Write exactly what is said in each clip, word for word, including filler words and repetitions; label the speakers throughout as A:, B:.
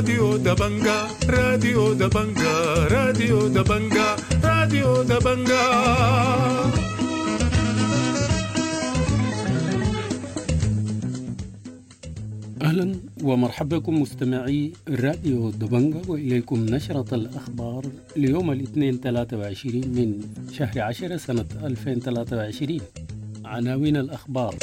A: راديو دبنجا، راديو دبنجا، راديو دبنجا، راديو دبنجا.
B: أهلا ومرحبا بكم مستمعي راديو دبنجا، وإليكم نشرة الأخبار ليوم الاثنين ثلاثة وعشرين من شهر عشرة سنة ألفين وثلاثة وعشرين. عناوين الأخبار: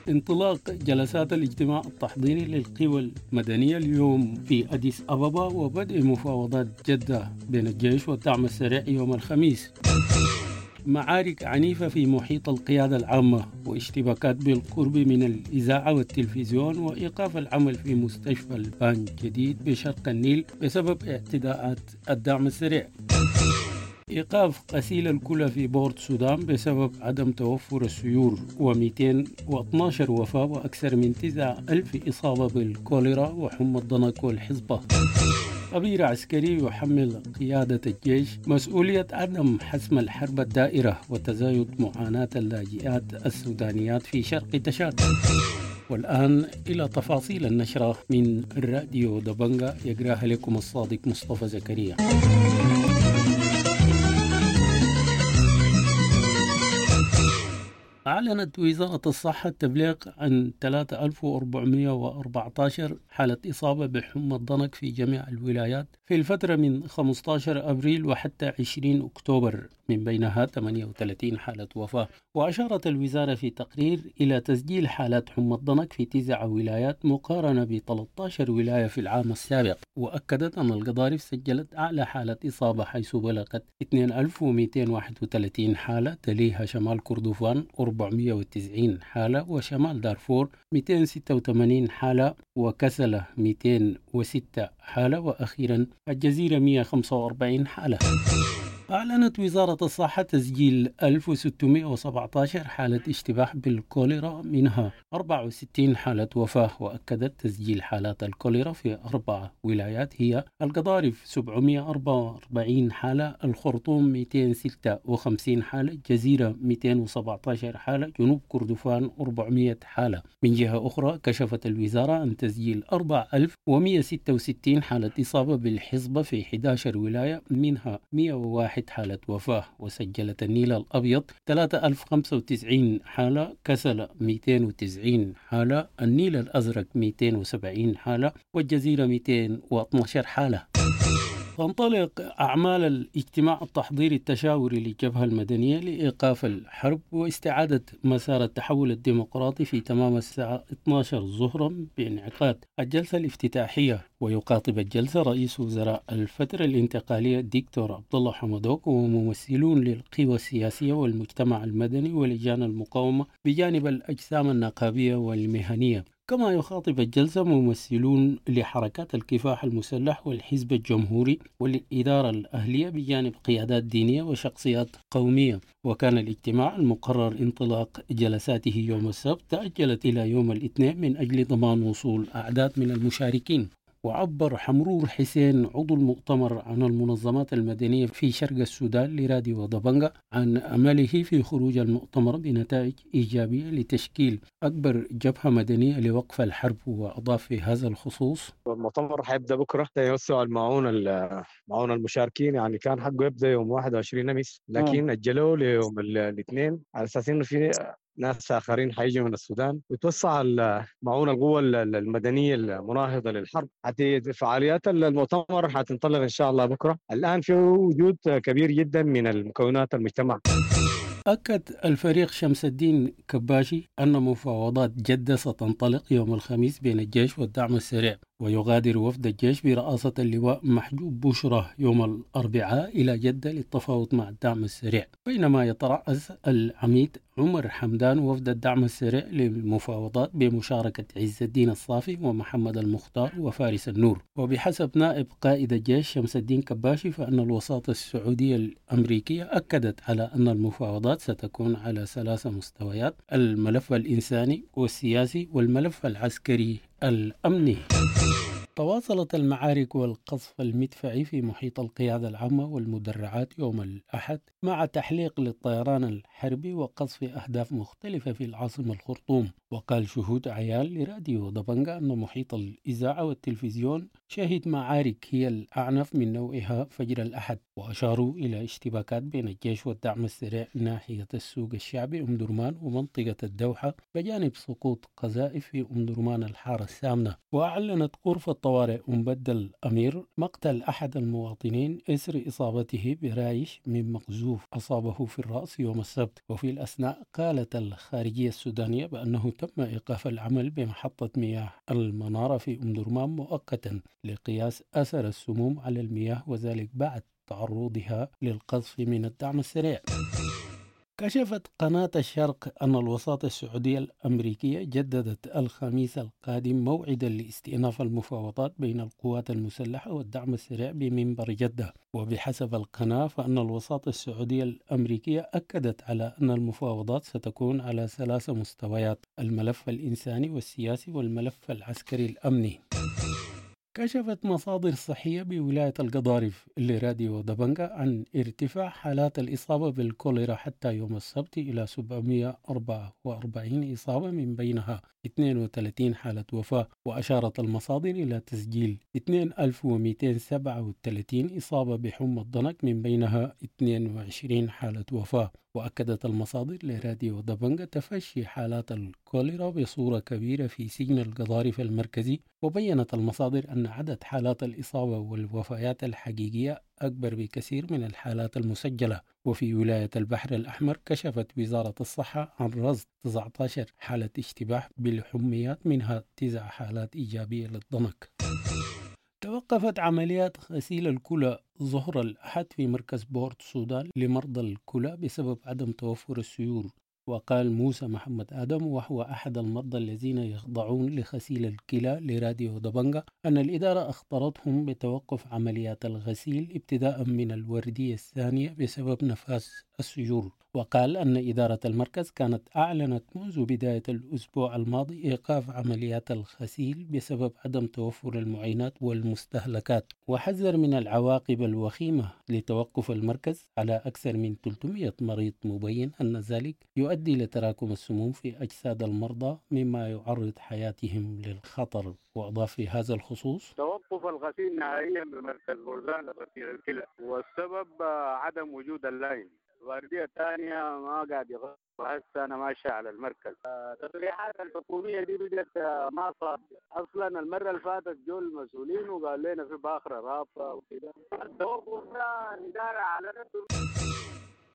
B: انطلاق جلسات الاجتماع التحضيري للقوى المدنية اليوم في أديس أبابا، وبدء مفاوضات جدة بين الجيش والدعم السريع يوم الخميس. معارك عنيفة في محيط القيادة العامة واشتباكات بالقرب من الإذاعة والتلفزيون، وإيقاف العمل في مستشفى البان جديد بشرق النيل بسبب اعتداءات الدعم السريع. إيقاف غسيل الكلى في بورت السودان بسبب عدم توفر السيور، ومئتين واثني عشر وفاة وأكثر من تسعة ألف إصابة بالكوليرا وحمى الضنك والحصبة. خبير عسكري يحمل قيادة الجيش مسؤولية عدم حسم الحرب الدائرة وتزايد معاناة اللاجئات السودانيات في شرق تشاد. والآن إلى تفاصيل النشرة من راديو دبنجا، يقراها لكم الصادق مصطفى زكريا. أعلنت وزارة الصحة التبليغ عن ثلاثة آلاف وأربعمائة وأربعة عشر حالة إصابة بحمى الضنك في جميع الولايات في الفترة من خمسة عشر أبريل وحتى عشرين أكتوبر، من بينها ثمانية وثلاثين حالة وفاة. وأشارت الوزارة في تقرير إلى تسجيل حالات حمى الضنك في تسع ولايات مقارنة ب ثلاثة عشر ولاية في العام السابق. وأكدت أن القضارف سجلت أعلى حالة إصابة حيث بلغت اثنين ألف ومئتين وواحد وثلاثين حالة، تليها شمال كردفان أربعمائة وتسعين حالة، وشمال دارفور مئتين وستة وثمانين حالة، وكسلة مئتين وستة حالة، وأخيرا الجزيرة مئة وخمسة وأربعين حالة. أعلنت وزارة الصحة تسجيل ألف وستمائة وسبعة عشر حالة اشتباه بالكوليرا، منها أربعة وستين حالة وفاة. وأكدت تسجيل حالات الكوليرا في أربع ولايات هي القضارف سبعمائة وأربعة وأربعين حالة، الخرطوم مئتين وستة وخمسين حالة، الجزيرة مئتين وسبعة عشر حالة، جنوب كردفان أربعمائة حالة. من جهة أخرى كشفت الوزارة عن تسجيل أربعة آلاف ومئة وستة وستين حالة إصابة بالحصبة في إحدى عشر ولاية، منها مئة وواحد حالة وفاة. وسجلت النيل الأبيض ثلاثة آلاف وخمسة وتسعين حالة، كسلة مئتين وتسعين حالة، النيل الأزرق مئتين وسبعين حالة، والجزيرة مئتين واثني عشر حالة. تنطلق أعمال الاجتماع التحضيري التشاوري للجبهة المدنية لإيقاف الحرب واستعادة مسار التحول الديمقراطي في تمام الساعة اثني عشر ظهرا بانعقاد الجلسة الافتتاحية. ويخاطب الجلسة رئيس وزراء الفترة الانتقالية الدكتور عبد الله حمدوك وممثلون للقوى السياسية والمجتمع المدني ولجان المقاومة بجانب الأجسام النقابية والمهنية. كما يخاطب الجلسة ممثلون لحركات الكفاح المسلح والحزب الجمهوري والإدارة الأهلية بجانب قيادات دينية وشخصيات قومية. وكان الاجتماع المقرر انطلاق جلساته يوم السبت تأجلت إلى يوم الاثنين من أجل ضمان وصول أعداد من المشاركين. وعبر حمرور حسين عضو المؤتمر عن المنظمات المدنية في شرق السودان لراديو دبنجا عن أمله في خروج المؤتمر بنتائج إيجابية لتشكيل أكبر جبهة مدنية لوقف الحرب. وأضاف في هذا الخصوص:
C: المؤتمر حيبدأ بكرة يوسع المعونة معونة المشاركين، يعني كان حقه يبدأ يوم واحد وعشرين أمس، لكن أجلوه ليوم الاثنين على أساس إنه في ناس آخرين حيجوا من السودان، وتوسع معونة القوى المدنية المناهضة للحرب. حتى فعاليات المؤتمر حتنطلق إن شاء الله بكرة. الآن في وجود كبير جدا من المكونات المجتمع.
B: أكد الفريق شمس الدين كباشي أن مفاوضات جدة ستنطلق يوم الخميس بين الجيش والدعم السريع. ويغادر وفد الجيش برئاسة اللواء محجوب بشرى يوم الأربعاء إلى جدة للتفاوض مع الدعم السريع، بينما يترأس العميد عمر حمدان وفد الدعم السريع للمفاوضات بمشاركة عز الدين الصافي ومحمد المختار وفارس النور. وبحسب نائب قائد الجيش شمس الدين كباشي فإن الوساطة السعودية الأمريكية أكدت على أن المفاوضات ستكون على ثلاث مستويات: الملف الإنساني والسياسي والملف العسكري الأمني. تواصلت المعارك والقصف المدفعي في محيط القيادة العامة والمدرعات يوم الأحد مع تحليق للطيران الحربي وقصف أهداف مختلفة في العاصمة الخرطوم. وقال شهود عيان لراديو دبنجا أن محيط الإذاعة والتلفزيون شهد معارك هي الأعنف من نوعها فجر الأحد، وأشاروا إلى اشتباكات بين الجيش والدعم السريع ناحية السوق الشعبي أم درمان ومنطقة الدوحة بجانب سقوط قذائف في أم درمان الحارة الثامنة. وأعلنت غرفة طوارئ أم بدل أمير مقتل أحد المواطنين إثر إصابته برايش من مقذوف أصابه في الرأس يوم السبت. وفي الأثناء قالت الخارجية السودانية بأنه تم إيقاف العمل بمحطة مياه المنارة في أم درمان مؤقتا لقياس أثر السموم على المياه، وذلك بعد تعرضها للقذف من الدعم السريع. كشفت قناة الشرق أن الوساطة السعودية الأمريكية جددت الخميس القادم موعدا لاستئناف المفاوضات بين القوات المسلحة والدعم السريع بمنبر جدة. وبحسب القناة فأن الوساطة السعودية الأمريكية أكدت على أن المفاوضات ستكون على ثلاث مستويات: الملف الإنساني والسياسي والملف العسكري الأمني. كشفت مصادر صحية بولاية القضارف لراديو دبنجا عن ارتفاع حالات الإصابة بالكوليرا حتى يوم السبت إلى سبعمئة وأربعة وأربعين إصابة، من بينها اثنين وثلاثين حالة وفاة. وأشارت المصادر إلى تسجيل ألفين ومئتين وسبعة وثلاثين إصابة بحمى الضنك، من بينها اثنين وعشرين حالة وفاة. وأكدت المصادر لراديو دبنجا تفشي حالات الكوليرا بصورة كبيرة في سجن القضارف المركزي. وبينت المصادر أن عدد حالات الإصابة والوفيات الحقيقية أكبر بكثير من الحالات المسجلة. وفي ولاية البحر الأحمر كشفت وزارة الصحة عن رصد تسعة عشر حالة اشتباه بالحميات، منها تسع حالات إيجابية للضنك. توقفت عمليات غسيل الكلى ظهر الأحد في مركز بورت السودان لمرضى الكلى بسبب عدم توفر السيور. وقال موسى محمد آدم، وهو أحد المرضى الذين يخضعون لغسيل الكلى، لراديو دبنجا أن الإدارة أخطرتهم بتوقف عمليات الغسيل ابتداء من الوردية الثانية بسبب نفاذ السيور. وقال أن إدارة المركز كانت أعلنت منذ بداية الأسبوع الماضي إيقاف عمليات الغسيل بسبب عدم توفر المعينات والمستهلكات، وحذر من العواقب الوخيمة لتوقف المركز على أكثر من ثلاثمئة مريض، مبين أن ذلك يؤدي لتراكم السموم في أجساد المرضى مما يعرض حياتهم للخطر. وأضاف في هذا الخصوص:
D: توقف الغسيل نهائيا بمركز بوردان لغسيل الكلى، والسبب عدم وجود اللاين. الوردية الثانية ما قاعد يغسل، وهسه أنا ماشي على المركز. التصريحات الحكومية دي بدأت ما صادقة أصلا. المرة اللي فاتت جو المسؤولين وقال لنا في باخرة رابطة وكده. التوقف ده الإدارة أعلنته.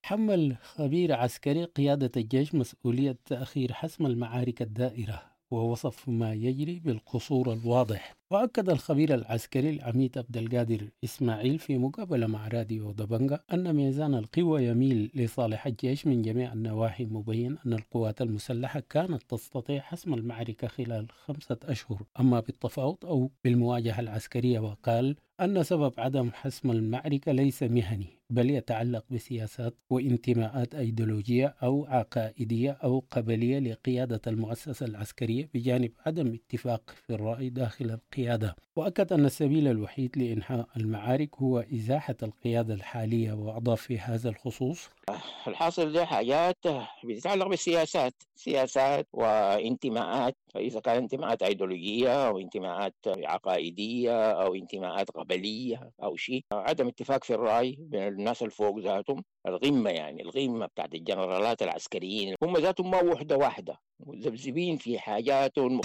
B: حمل خبير عسكري قيادة الجيش مسؤولية تأخير حسم المعارك الدائرة، ووصف ما يجري بالقصور الواضح. وأكد الخبير العسكري العميد عبد القادر إسماعيل في مقابلة مع راديو دبنجا أن ميزان القوى يميل لصالح الجيش من جميع النواحي، مبين أن القوات المسلحة كانت تستطيع حسم المعركة خلال خمسة أشهر، أما بالتفاوض أو بالمواجهة العسكرية. وقال أن سبب عدم حسم المعركة ليس مهني، بل يتعلق بسياسات وانتماءات أيديولوجية أو عقائدية أو قبلية لقيادة المؤسسة العسكرية، بجانب عدم اتفاق في الرأي داخل القيادة. وأكد أن السبيل الوحيد لإنهاء المعارك هو إزاحة القيادة الحالية. وأضاف في هذا الخصوص:
E: الحاصل ده حاجات بتتعلق بالسياسات، سياسات وانتماءات، إذا كان انتماءات أيديولوجية أو انتماءات عقائدية أو انتماءات قبلية أو شيء، عدم اتفاق في الرأي بين الناس الفوق ذاتهم، الغمة يعني الغمة بتاعت الجنرالات العسكريين هم ذاتهم ما وحدة واحدة، مذبذبين في حاجاتهم.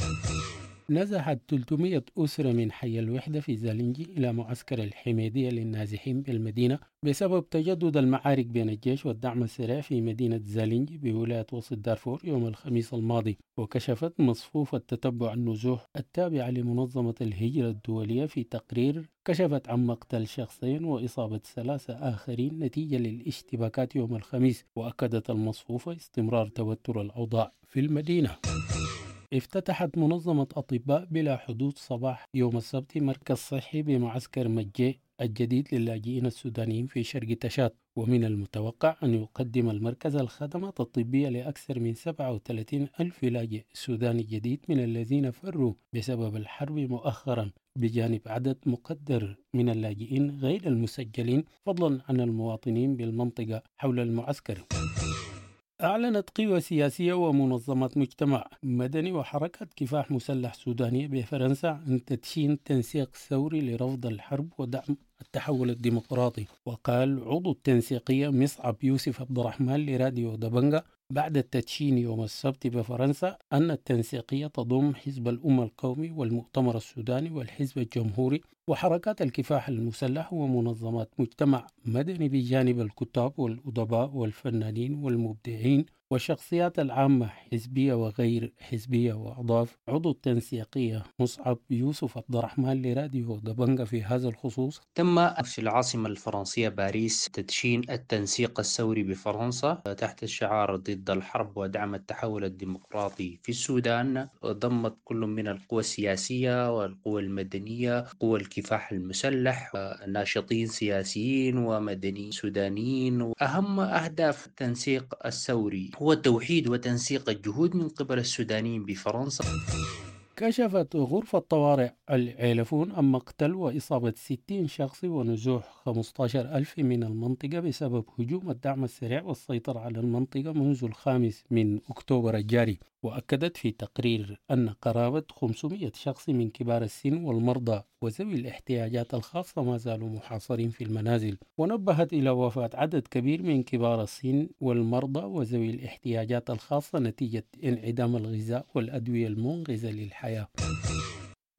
B: نزحت ثلاثمئة أسرة من حي الوحدة في زالنجي إلى معسكر الحميدية للنازحين بالمدينة بسبب تجدد المعارك بين الجيش والدعم السريع في مدينة زالنجي بولاية وسط دارفور يوم الخميس الماضي. وكشفت مصفوفة تتبع النزوح التابعة لمنظمة الهجرة الدولية في تقرير كشفت عن مقتل شخصين وإصابة ثلاثة آخرين نتيجة للاشتباكات يوم الخميس. وأكدت المصفوفة استمرار توتر الأوضاع في المدينة. افتتحت منظمة أطباء بلا حدود صباح يوم السبت مركز صحي بمعسكر مجي الجديد للاجئين السودانيين في شرق تشاد، ومن المتوقع أن يقدم المركز الخدمات الطبية لأكثر من سبعة وثلاثين ألف لاجئ سوداني جديد من الذين فروا بسبب الحرب مؤخرا. بجانب عدد مقدر من اللاجئين غير المسجلين، فضلا عن المواطنين بالمنطقة حول المعسكر. أعلنت قوى سياسية ومنظمات مجتمع مدني وحركة كفاح مسلح سودانية بفرنسا عن تدشين تنسيق ثوري لرفض الحرب ودعم التحول الديمقراطي. وقال عضو التنسيقية مصعب يوسف عبد الرحمن لراديو دبنجة بعد التدشين يوم السبت بفرنسا أن التنسيقية تضم حزب الأمة القومي والمؤتمر السوداني والحزب الجمهوري وحركات الكفاح المسلح ومنظمات مجتمع مدني بجانب الكتاب والأدباء والفنانين والمبدعين والشخصيات العامة حزبية وغير حزبية. وأضاف عضو التنسيقية مصعب يوسف عبد الرحمن لراديو دبنجة في هذا الخصوص:
F: تم في العاصمة الفرنسية باريس تدشين التنسيق الثوري بفرنسا تحت الشعار ضد الحرب ودعم التحول الديمقراطي في السودان. ضمت كل من القوى السياسية والقوى المدنية، قوى الكفاح المسلح، ناشطين سياسيين ومدنيين سودانيين. أهم أهداف التنسيق الثوري هو توحيد وتنسيق الجهود من قبل السودانيين بفرنسا.
B: كشفت غرفة طوارئ العيلفون عن مقتل وإصابة ستين شخص ونزوح خمسة عشر ألف من المنطقة بسبب هجوم الدعم السريع والسيطرة على المنطقة منذ الخامس من أكتوبر الجاري. وأكدت في تقرير أن قرابة خمسمئة شخص من كبار السن والمرضى وذوي الاحتياجات الخاصة ما زالوا محاصرين في المنازل. ونبهت إلى وفاة عدد كبير من كبار السن والمرضى وذوي الاحتياجات الخاصة نتيجة انعدام الغذاء والأدوية المنقذة للحياة.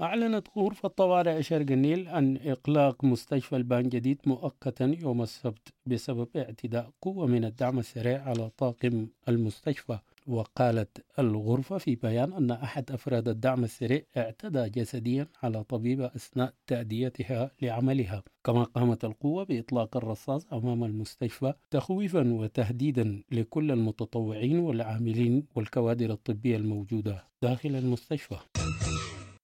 B: أعلنت غرفة طوارئ شرق النيل عن إغلاق مستشفى البان جديد مؤقتا يوم السبت بسبب اعتداء قوة من الدعم السريع على طاقم المستشفى. وقالت الغرفة في بيان أن أحد أفراد الدعم السريع اعتدى جسديا على طبيبة أثناء تأديتها لعملها، كما قامت القوة بإطلاق الرصاص أمام المستشفى تخويفا وتهديدا لكل المتطوعين والعاملين والكوادر الطبية الموجودة داخل المستشفى.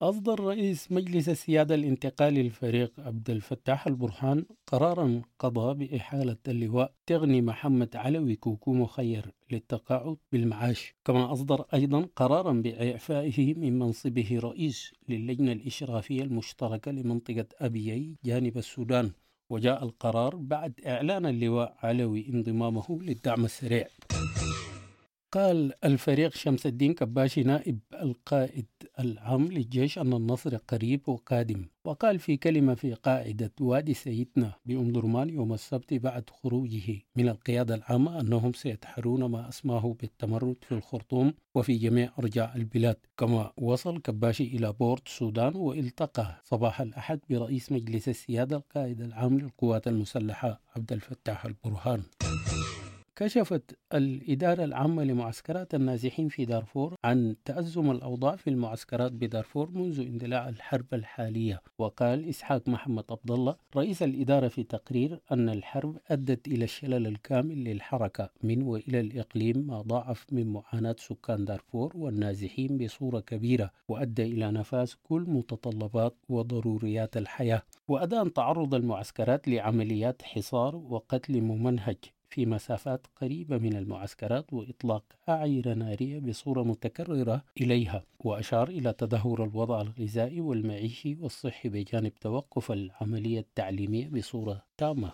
B: أصدر رئيس مجلس السيادة الانتقالي الفريق عبد الفتاح البرهان قرارا قضى بإحالة اللواء تغني محمد علوي كوكو مخير للتقاعد بالمعاش، كما أصدر أيضا قرارا بإعفائه من منصبه رئيس للجنة الإشرافية المشتركة لمنطقة أبيي جانب السودان. وجاء القرار بعد إعلان اللواء علوي انضمامه للدعم السريع. قال الفريق شمس الدين كباشي نائب القائد العام للجيش أن النصر قريب وقادم. وقال في كلمة في قاعدة وادي سيدنا بأم درمان يوم السبت بعد خروجه من القيادة العامة أنهم سيتحرون ما أسماه بالتمرد في الخرطوم وفي جميع أرجاء البلاد. كما وصل كباشي إلى بورت السودان والتقى صباح الأحد برئيس مجلس السيادة القائد العام للقوات المسلحة عبد الفتاح البرهان. كشفت الإدارة العامة لمعسكرات النازحين في دارفور عن تأزم الأوضاع في المعسكرات بدارفور منذ اندلاع الحرب الحالية. وقال إسحاق محمد عبد الله رئيس الإدارة في تقرير أن الحرب أدت إلى الشلل الكامل للحركة من وإلى الإقليم، ما ضاعف من معاناة سكان دارفور والنازحين بصورة كبيرة، وأدى إلى نفاذ كل متطلبات وضروريات الحياة. وأدان تعرض المعسكرات لعمليات حصار وقتل ممنهج في مسافات قريبة من المعسكرات وإطلاق أعيرة نارية بصورة متكررة إليها. وأشار إلى تدهور الوضع الغذائي والمعيشي والصحي بجانب توقف العملية التعليمية بصورة تامة.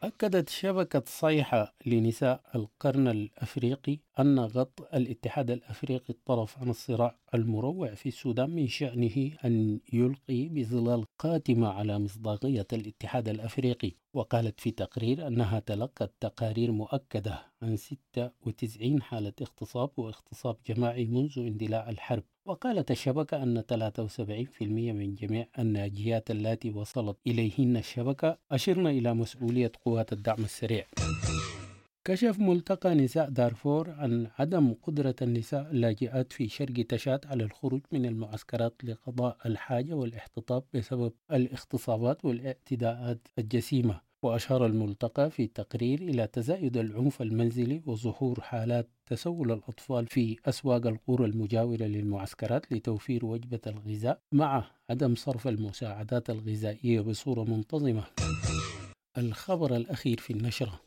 B: أكدت شبكة صيحة لنساء القرن الأفريقي أن غض الاتحاد الأفريقي الطرف عن الصراع المروع في السودان من شأنه أن يلقي بظلال قاتمة على مصداقية الاتحاد الأفريقي. وقالت في تقرير أنها تلقت تقارير مؤكدة عن ستة وتسعين حالة اغتصاب واغتصاب جماعي منذ اندلاع الحرب. وقالت الشبكة أن ثلاثة وسبعين بالمئة من جميع الناجيات التي وصلت إليهن الشبكة أشرن إلى مسؤولية قوات الدعم السريع. كشف ملتقى نساء دارفور عن عدم قدرة النساء اللاجئات في شرق تشاد على الخروج من المعسكرات لقضاء الحاجة والاحتطاب بسبب الاغتصابات والاعتداءات الجسيمة. وأشار الملتقى في تقرير إلى تزايد العنف المنزلي وظهور حالات تسول الأطفال في أسواق القرى المجاورة للمعسكرات لتوفير وجبة الغذاء مع عدم صرف المساعدات الغذائية بصورة منتظمة. الخبر الأخير في النشرة: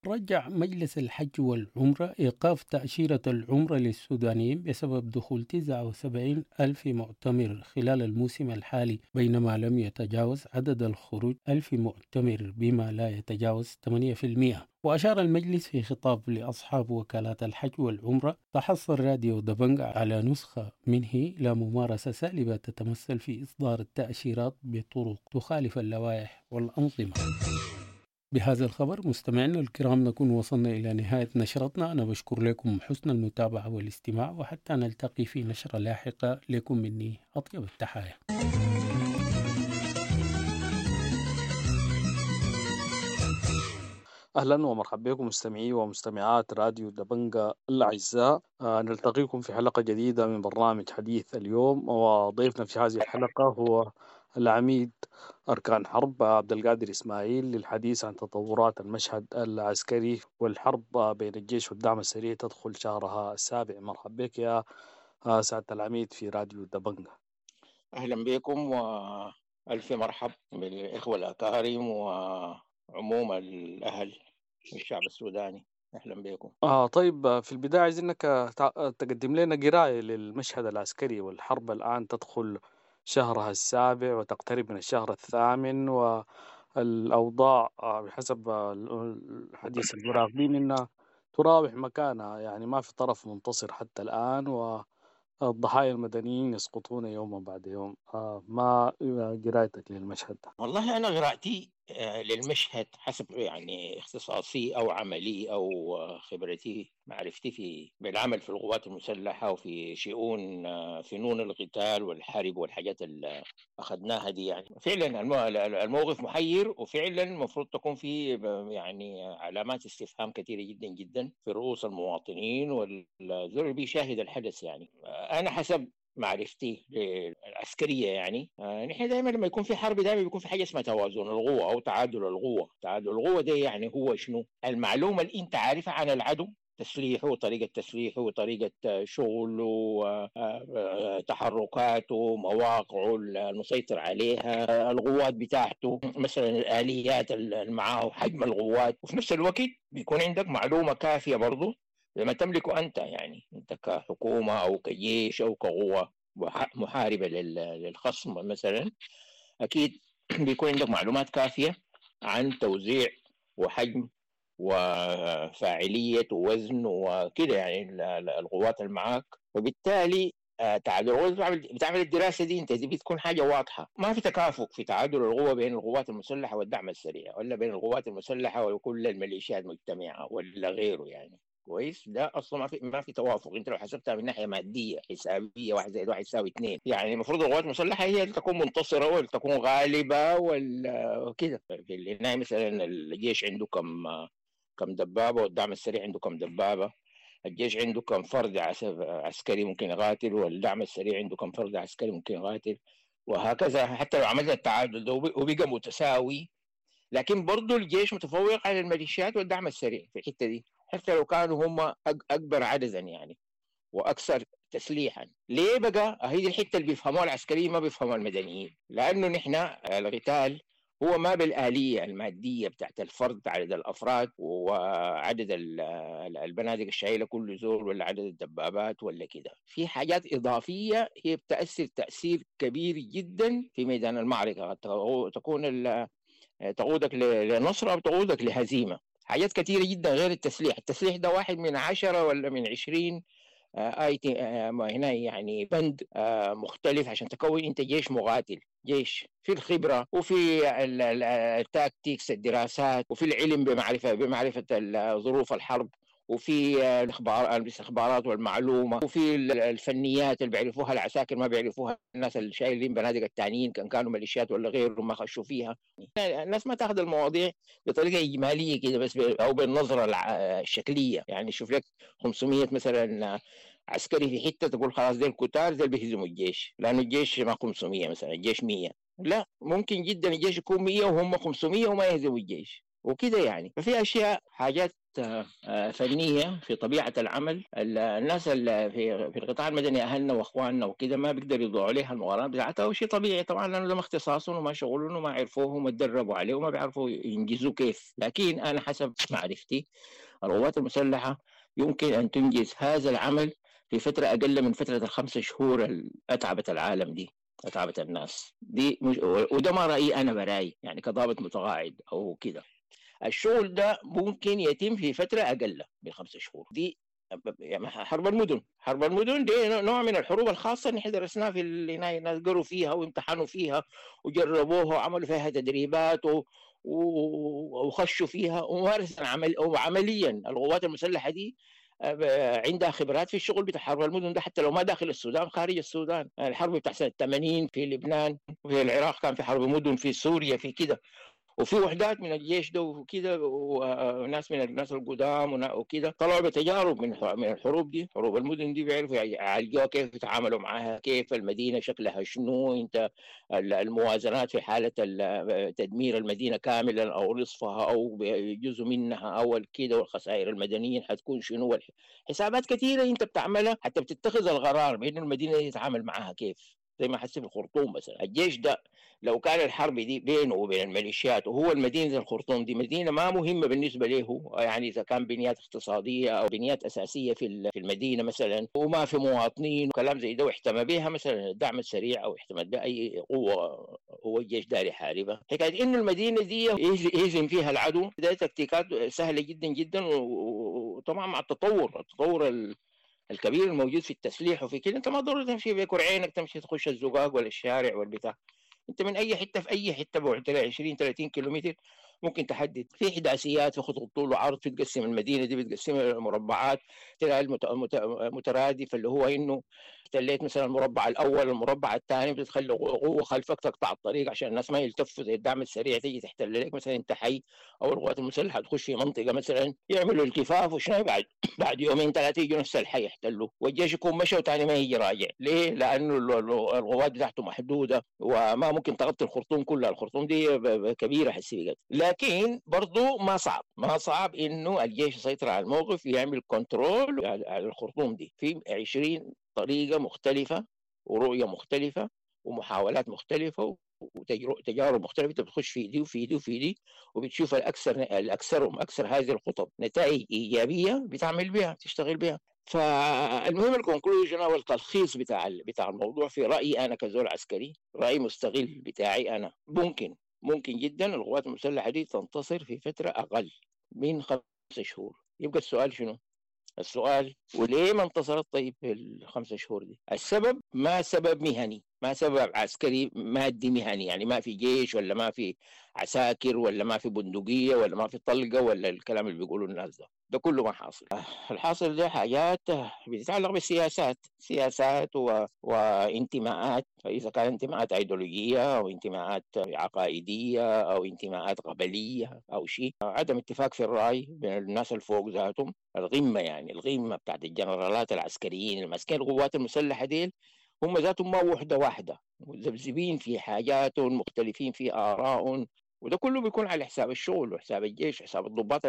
B: رجع مجلس الحج والعمرة إيقاف تأشيرة العمرة للسودانيين بسبب دخول تسعة وسبعين ألف معتمر خلال الموسم الحالي، بينما لم يتجاوز عدد الخروج ألف معتمر بما لا يتجاوز ثمانية بالمئة. وأشار المجلس في خطاب لأصحاب وكالات الحج والعمرة تحصل راديو دبنجا على نسخة منه إلى ممارسة سالبة تتمثل في إصدار التأشيرات بطرق تخالف اللوائح والأنظمة. بهذا الخبر مستمعينا الكرام نكون وصلنا إلى نهاية نشرتنا. أنا بشكر لكم حسن المتابعة والاستماع، وحتى نلتقي في نشرة لاحقة لكم مني أطيب التحايا.
G: أهلا ومرحبا بكم مستمعي ومستمعات راديو دبنجا الأعزاء. آه نلتقيكم في حلقة جديدة من برنامج حديث اليوم، وضيفنا في هذه الحلقة هو العميد أركان حرب عبد القادر إسماعيل للحديث عن تطورات المشهد العسكري والحرب بين الجيش والدعم السريع تدخل شهرها السابع. مرحبا بك يا سعادة العميد في راديو دبنجا.
E: أهلا بكم وألف مرحب بالإخوة الأكارم وعموم الأهل والشعب السوداني. أهلا بكم.
G: آه طيب، في البداية عايزينك تقدم لنا قراية للمشهد العسكري والحرب الآن تدخل شهرها السابع وتقترب من الشهر الثامن، والأوضاع بحسب الحديث المراقبين إنها تراوح مكانها، يعني ما في طرف منتصر حتى الآن، والضحايا المدنيين يسقطون يوما بعد يوم. ما قراءتك للمشهد؟
E: والله أنا قراءتي للمشهد حسب يعني اختصاصي أو عملي أو خبرتي معرفتي في بالعمل في القوات المسلحة وفي شؤون فنون القتال والحرب والحاجات اللي أخذناها دي، يعني فعلا الموقف محير، وفعلا المفروض تكون في يعني علامات استفهام كثيرة جدا جدا في رؤوس المواطنين والزول اللي بيشاهد الحدث. يعني أنا حسب معرفتي العسكرية يعني نحن دائما لما يكون في حرب دائما بيكون في حاجة اسمها توازن القوة أو تعادل القوة. تعادل القوة ده يعني هو شنو؟ المعلومة اللي أنت عارفها عن العدو، تسليحه وطريقة تسليحه وطريقة شغله تحركاته مواقعه المسيطر عليها، القوات بتاعته مثلا، الآليات اللي معاه، حجم القوات. وفي نفس الوقت بيكون عندك معلومة كافية برضو لما تملكه أنت، يعني أنت كحكومة أو كجيش أو كقوة محاربة للخصم مثلا، أكيد بيكون عندك معلومات كافية عن توزيع وحجم وفاعلية ووزن وكده يعني القوات اللي معاك. وبالتالي تعادل القوة بتعمل الدراسة دي انت، دي بتكون حاجة واضحة، ما في تكافؤ في تعادل القوة بين القوات المسلحة والدعم السريع، ولا بين القوات المسلحة وكل الميليشيات مجتمعة ولا غيره يعني. كويس، ده اصلا ما في ما في توافق. انت لو حسبتها من ناحية مادية حسابيه، واحد زائد واحد يساوي اثنين، يعني المفروض القوات المسلحة هي اللي تكون منتصره واللي تكون غالبه ولا كده. في النهاية مثلا الجيش عنده كم كم دبابة والدعم السريع عنده كم دبابة، الجيش عنده كم فرد عسكري ممكن يقاتل والدعم السريع عنده كم فرد عسكري ممكن يقاتل، وهكذا. حتى لو عملنا التعادل ده وبقى متساوي، لكن برضه الجيش متفوق على الميليشيات والدعم السريع في الحتة دي، حتى لو كانوا هم أكبر عددا يعني وأكثر تسليحا. ليه بقى؟ هي دي الحتة اللي بيفهموها العسكريين ما بيفهموها المدنيين، لأنه نحن القتال هو ما بالآلية المادية بتاعت الفرد، عدد الأفراد وعدد البنادق الشايلة كل زول، ولا عدد الدبابات ولا كده. في حاجات إضافية هي بتأثر تأثير كبير جدا في ميدان المعركة، تكون تقودك لنصر أو تقودك لهزيمة. حاجات كثيرة جدا غير التسليح. التسليح ده واحد من عشرة ولا من عشرين آي تي هنا يعني بند مختلف عشان تكون انت جيش مقاتل. جيش في الخبرة وفي التاكتيكس، الدراسات، وفي العلم بمعرفة بمعرفة ظروف الحرب، وفي الاخبار الاستخبارات والمعلومه، وفي الفنيات اللي بيعرفوها العساكر ما بيعرفوها الناس اللي شايلين بنادق التانيين، كان كانوا ميليشيات ولا غيره ما خشوا فيها. الناس ما تاخذ المواضيع بطريقة اجمالية كده بس، او بالنظرة الشكليه. يعني شوف لك خمسمية مثلا عسكري في حتة تقول خلاص ديل كتار ديل بيهزموا الجيش، لانه الجيش ما خمسمية مثلا، الجيش مية. لا، ممكن جدا الجيش يكون مية وهم خمسمية وما يهزموا الجيش وكده يعني. ففي اشياء حاجات فنية في طبيعة العمل. الناس اللي في في القطاع المدني اهلنا واخواننا وكده ما بيقدروا يضعوا عليها المقارنات بتاعتها، وشيء طبيعي طبعا لانه ده ما اختصاصهم وما شغلهم وما عرفوه وما تدربوا عليه وما بيعرفوا ينجزوا كيف. لكن انا حسب معرفتي القوات المسلحة يمكن ان تنجز هذا العمل في فترة اقل من فترة الخمسة شهور اللي اتعبت العالم دي، اتعبت الناس دي. مش وده ما رايي انا براي يعني كضابط متقاعد او كده. الشغل ده ممكن يتم في فترة اقل من خمسة شهور دي. يعني حرب المدن، حرب المدن دي نوع من الحروب الخاصة اللي احنا درسناها في الناس قروا فيها وامتحنوا فيها وجربوها وعملوا فيها تدريبات و... وخشوا فيها ومارسوا عمل وعمليا. القوات المسلحة دي عندها خبرات في الشغل بتاع حرب المدن ده، حتى لو ما داخل السودان خارج السودان. الحرب بتاع سنة ثمانين في لبنان وفي العراق كان في حرب مدن، في سوريا في كده، وفي وحدات من الجيش ده وكده وناس من الناس القدام وكده طلعوا بتجارب من من الحروب دي. حروب المدن دي بيعرفوا يعالجوها كيف، يتعاملوا معاها كيف، المدينة شكلها شنو، انت الموازنات في حاله تدمير المدينة كاملا او نصفها او جزء منها او كده، والخسائر المدنية حتكون شنو، حسابات كثيرة انت بتعملها حتى بتتخذ القرار بانه المدينة دي يتعامل معاها كيف. زي ما حسب الخرطوم مثلا، الجيش ده لو كان الحرب دي بينه وبين الميليشيات، وهو المدينة الخرطوم دي مدينة ما مهمة بالنسبة له، يعني إذا كان بنيات اقتصادية أو بنيات أساسية في في المدينة مثلا وما في مواطنين وكلام زي ده، واحتمى بها مثلا الدعم السريع أو احتمى بها أي قوة هو الجيش داري يحاربها. حكاية إنه المدينة دي يهزم فيها العدو ده تكتيكات سهلة جدا جدا، وطبعا مع التطور التطور ال الكبير الموجود في التسليح وفي كده، انت ما ضروري تمشي بكرعينك تمشي تخش الزقاق ولا الشارع والبتاع، انت من اي حتة في اي حتة بعد عشرين ثلاثين كيلومتر ممكن تحدد في احداثيات، في خطوط طول وعرض، في تقسم المدينة دي بتقسمها مربعات تلاقي المترادف اللي هو انه احتليت مثلا المربع الاول المربع الثاني، بتخلي قوة خلفك تقطع الطريق عشان الناس ما يلتفوا زي الدعم السريع تيجي تحتل لك مثلا انت حي، او القوات المسلحة تخش في منطقة مثلا يعملوا التفاف وشنو، بعد بعد يومين ثلاثة يجوا نفس الحي يحتلوا والجيش يكون مشى وثاني ما يجي راجع. ليه؟ لانه القوات بتاعته محدودة وما ممكن تغطي الخرطوم كلها، الخرطوم دي كبيرة حسي بقت. لكن برضو ما صعب، ما صعب انه الجيش يسيطر على الموقف يعمل control على الخرطوم دي في عشرين طريقة مختلفة ورؤية مختلفة ومحاولات مختلفة وتجارب مختلفة، انت بتخش في دي وفي دي وفي دي وبتشوف الأكثر الأكثرهم أكثر هذه الخطط نتائج إيجابية بتعمل بها تشتغل بها. فالمهم ال conclusion أو التلخيص بتاع بتاع الموضوع في رأيي أنا كزول عسكري، رأي مستغل بتاعي أنا، ممكن ممكن جدا القوات المسلحة دي تنتصر في فترة أقل من خمسة شهور. يبقى السؤال شنو؟ السؤال وليه ما انتصرت طيب في الخمسة شهور دي؟ السبب ما سبب مهني، ما سبب عسكري مادي مهني، يعني ما في جيش ولا ما في عساكر ولا ما في بندقية ولا ما في طلقة ولا الكلام اللي بيقولوا الناس ده، ده كله ما حاصل. الحاصل ده حاجات بتتعلق بالسياسات، سياسات و... وانتماءات، إذا كان انتماءات أيديولوجية أو انتماءات عقائدية أو انتماءات قبلية أو شيء، عدم اتفاق في الرأي بين الناس الفوق ذاتهم، الغمة يعني الغمة بتاعت الجنرالات العسكريين الماسكين القوات المسلحة ديل هم ذاتهم ما وحدة واحدة، مذبذبين في حاجاتهم، مختلفين في آرائهم، وده كله بيكون على حساب الشغل وحساب الجيش وحساب الضباط